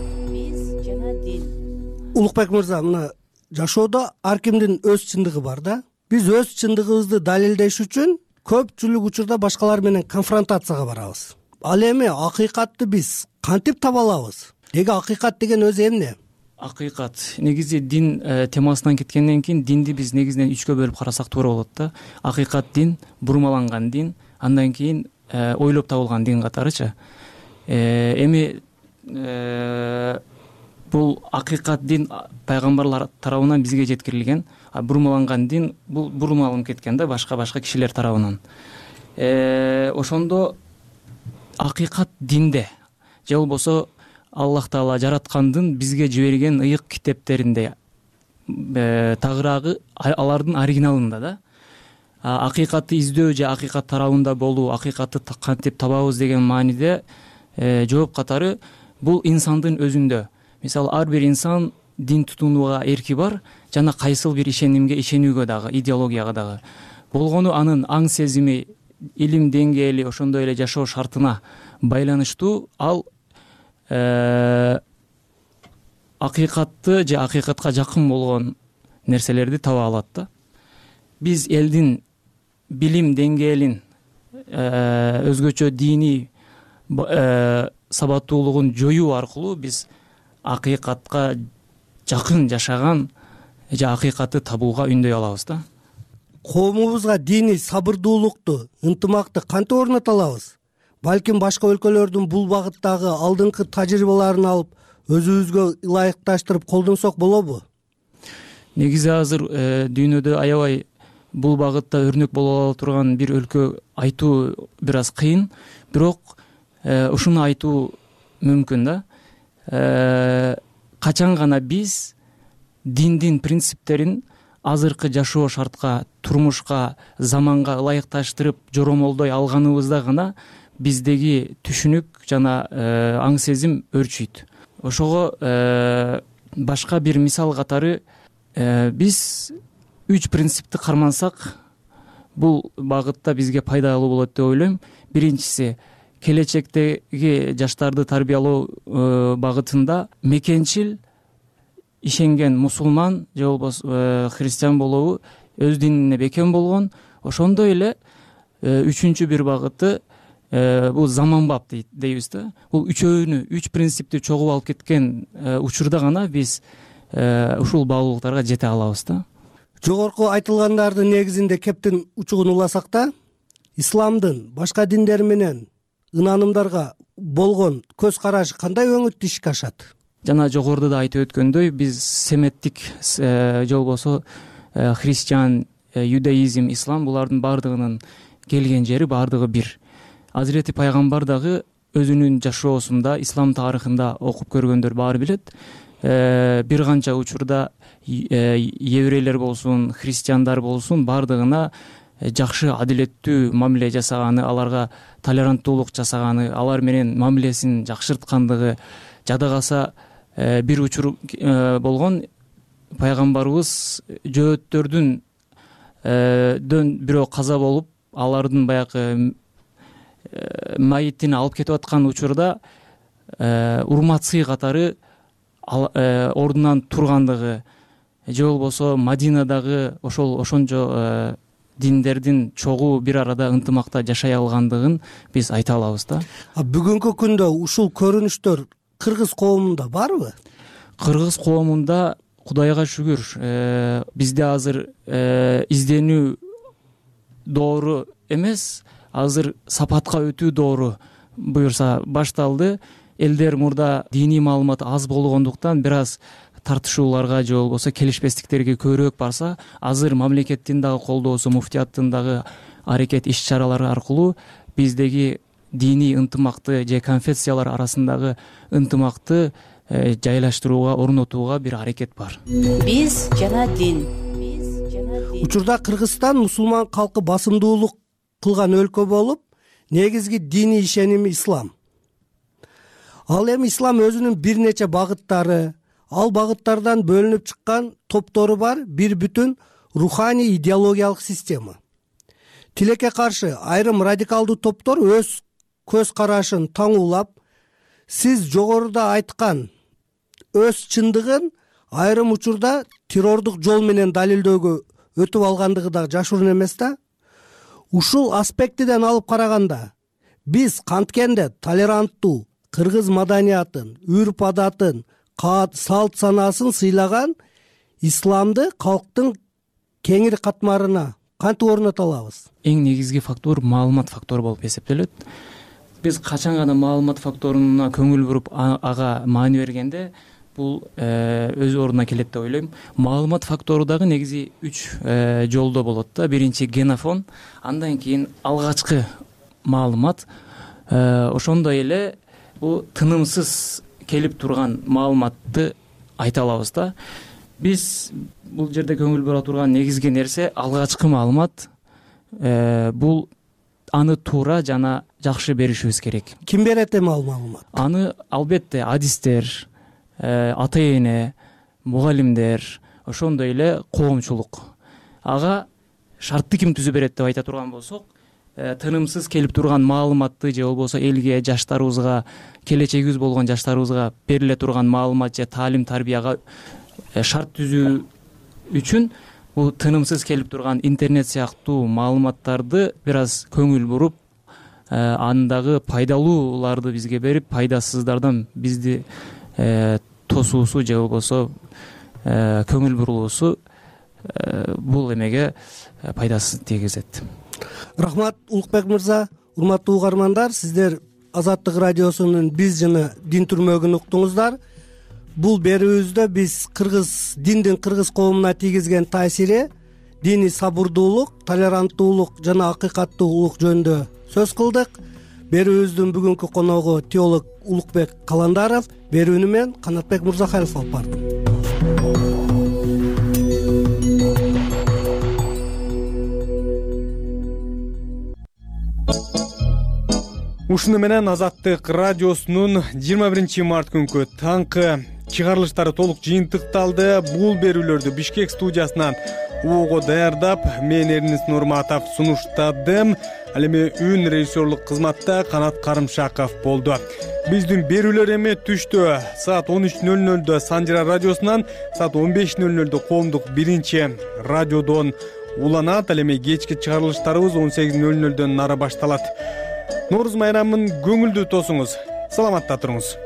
Улукбек мырза, мына жашоодо ар кимдин өз чындыгы бар да. Биз өз чындыгыбызды далилдеш үчүн көпчүлүк учурда башкалар менен конфронтацияга барабыз. Ал эми акыйкатты биз кантип таба алабыз? Деги акыйкат деген өзү эмне? Акыйкат негизи дин темасынан кеткенден кийин динди биз негизинен 3кө бөлүп карасак туура болот да. Акыйкат дин, бурмаланган дин, андан кийин ойлоп табылган дин катарычы. Эми бул акыйкат дин пайгамбарлар тарабынан бизге жеткирилген, а бурмаланган дин бул бурмаланып кеткен да башка кишилер тарабынан. Ошондо акыйкат динде же болбосо Аллах Таала жараткандын бизге жиберген ыйык китептеринде тагыраагы алардын оригиналында да. Акыйкатты издөө же акыйкат тарабында болуу, акыйкатты кантип табабыз деген мааниде жооп катары бул инсандын өзүндө. Мисалы ар бир инсан дин тутунууга эрки бар жана кайсыл бир ишенимге ишенүүгө дагы, идеологияга дагы. Болгону анын аң сезими, илим деңгээли, ошондой эле жашоо шартына байланыштуу ал акыйкатты же акыйкатка жакын болгон нерселерди таба алат да. Биз элдин билим деңгээлин, өзгөчө диний сабаттуулугун жоюу аркылуу биз акыйкатка жакын жашаган же акыйкатты табууга үндөй алабыз да. Коомубузга диний сабырдуулукту, ынтымакты кантип орното алабыз? Балким башка өлкөлөрдүн бул багыттагы алдыңкы тажрыйбаларын алып, өзүбүзгө ылайыкташтырып колдонсок болобу? Негизи азыр дүйнөдө аябай бул багытта өрнөк боло ала турган бир өлкө айтуу бир аз кыйын, бирок ушуну айтуу мүмкүн да. Качан гана биз диндин принциптерин азыркы жашоо шартка, турмушка, заманга ылайыкташтырып жоромолдой алганыбызда гана биздеги түшүнүк жана аң сезим өрчүйт. Ошого башка бир мисал катары биз 3 принципти кармансак бул багытта бизге пайдалуу болот деп ойлойм. Биринчиси келечектеги жаштарды тарбиялоо багытында мекенчил ишенген мусулман же болбосо христиан болобу өз динине бекем болгон. Ошондой эле үчүнчү бир багыты бул заманбап дейбиз да. Бул үчөөнү, үч принципти чогуу алып кеткен учурда гана биз ушул баалуулуктарга жете алабыз да. Жогорку айтылгандардын негизинде кептин учугун уласак да, исламдын башка диндер менен ынанымдарга болгон көз карашы кандай өңүттүү ишке ашат? Жана жогоруда да айтып өткөндөй, биз семиттик же болбосо христиан, юдаизм, ислам булардын баардыгынын келген жери баардыгы бир. Азирети пайгамбар дагы өзүнүн жашоосунда, ислам тарыхында окуп көргөндөр баары билет. Бир канча учурда еврейлер болсун, христиандар болсун, баардыгына жакшы, адилеттүү мамиле жасаганы, аларга толеранттуулук жасаганы, алар менен мамилесин жакшырткандыгы жада калса, бир учур болгон пайгамбарыбыз жөөттөрдөн бирөө каза болуп, алардын баягы майитин алып кетип аткан учурда урматсый катары ордунан тургандыгы, же болбосо Мадинадагы ошончо диндердин чогуу бир арада ынтымакта жашай алгандыгын биз айта алабыз да. Бүгүнкү күндө ушул көрүнүштөр кыргыз коомунда барбы? Кыргыз коомунда Кудайга шүгүр, бизде азыр изденүү доору эмес, азыр сапатка өтүү доору буюрса башталды. Элдер мурда диний маалымат аз болгондуктан бир аз тартышууларга же болбосо келишпестиктерге көбүрөөк барса, азыр мамлекеттин дагы колдоосу, муфтияттын дагы аракет иш-чаралары аркылуу биздеги диний ынтымакты же конфессиялар арасындагы ынтымакты жайлаштырууга, орнотууга бир аракет бар. Биз жана дин. Учурда Кыргызстан мусулман калкы басымдуулук кылган өлкө болуп, негизги диний ишеними ислам. Ал эми ислам өзүнүн бир нече багыттары, ал багыттардан бөлүнүп чыккан топтору бар бир бүтүн руханий идеологиялык система. Тилекке каршы айрым радикалдуу топтор өз көз карашын таңуулап, сиз жогоруда айткан өз чындыгын айрым учурда террордук жол менен далилдөөгө өтүп алгандыгы да жашыруун эмес да. Ушул аспектиден алып караганда, биз канткенде толеранттуу кыргыз маданиятын, үрп адатын, салт санаасын сыйлаган исламды калктын кеңири катмарына кантип орното алабыз? Эң негизги фактор маалымат фактору болуп эсептелет. Биз качан гана маалымат факторуна көңүл буруп, ага маани бергенде, бул өз ордуна келет деп ойлойм. Маалымат фактору дагы негизи 3 жолдо болот да. Биринчи генофон, андан кийин алгачкы маалымат, ошондой эле бул тынымсыз келип турган маалыматты айта алабыз да. Биз бул жерде көңүл бура турган негизги нерсе алгачкы маалымат. Бул аны туура жана жакшы беришибиз керек. Ким берет эми ал маалымат? Аны албетте адистер, ата эне, мугалимдер, ошондой эле коомчулук. Ага шартты ким түзүп берет деп айта турган болсок, тынымсыз келип турган маалыматты же болбосо элге, жаштарыбызга, келечегибиз болгон жаштарыбызга бериле турган маалымат же таалим тарбияга шарт түзүү үчүн бул тынымсыз келип турган интернет сыяктуу маалыматтарды бир аз көңүл буруп, андагы пайдалууларды бизге берип, пайдасыздардан бизди тосуусу же болбосо көңүл бурулуусу бул эмеге пайдасы тийгизет. Рахмат Улукбек мырза. Урматтуу угармандар, сиздер Азаттык радиосунун биз жана дин түрмөгүн уктуңуздар. Бул берүүбүздө биз диндин кыргыз коомуна тийгизген таасири, диний сабырдуулук, толеранттуулук жана акыйкаттуулук жөнүндө сөз кылдык. Берүүбүздүн бүгүнкү коногу теолог Улукбек Каландаров, берүүнү мен Канатбек Мурзахалов алып бардым. Ушуну менен Азаттык радиосунун 21 март күнкү таңкы чыгарылыштары толук жыйынтыкталды. Бул берүүлөрдү Бишкек студиясынан угу даярдап мен Эрнис Нурматов сунуштадым. Ал эми үн режиссерлук кызматта Канат Карымшаков болду. Биздин берүүлөр эми түштө саат 13:00 Санжира радиосунан, саат 15:00 коомдук биринчи радиодон уланат. Ал эми кечки чыгарылыштарыбыз 18:00 нары башталат. Нооруз майрамын көңүлдүү тосуңуз. Саламатта туруңуз.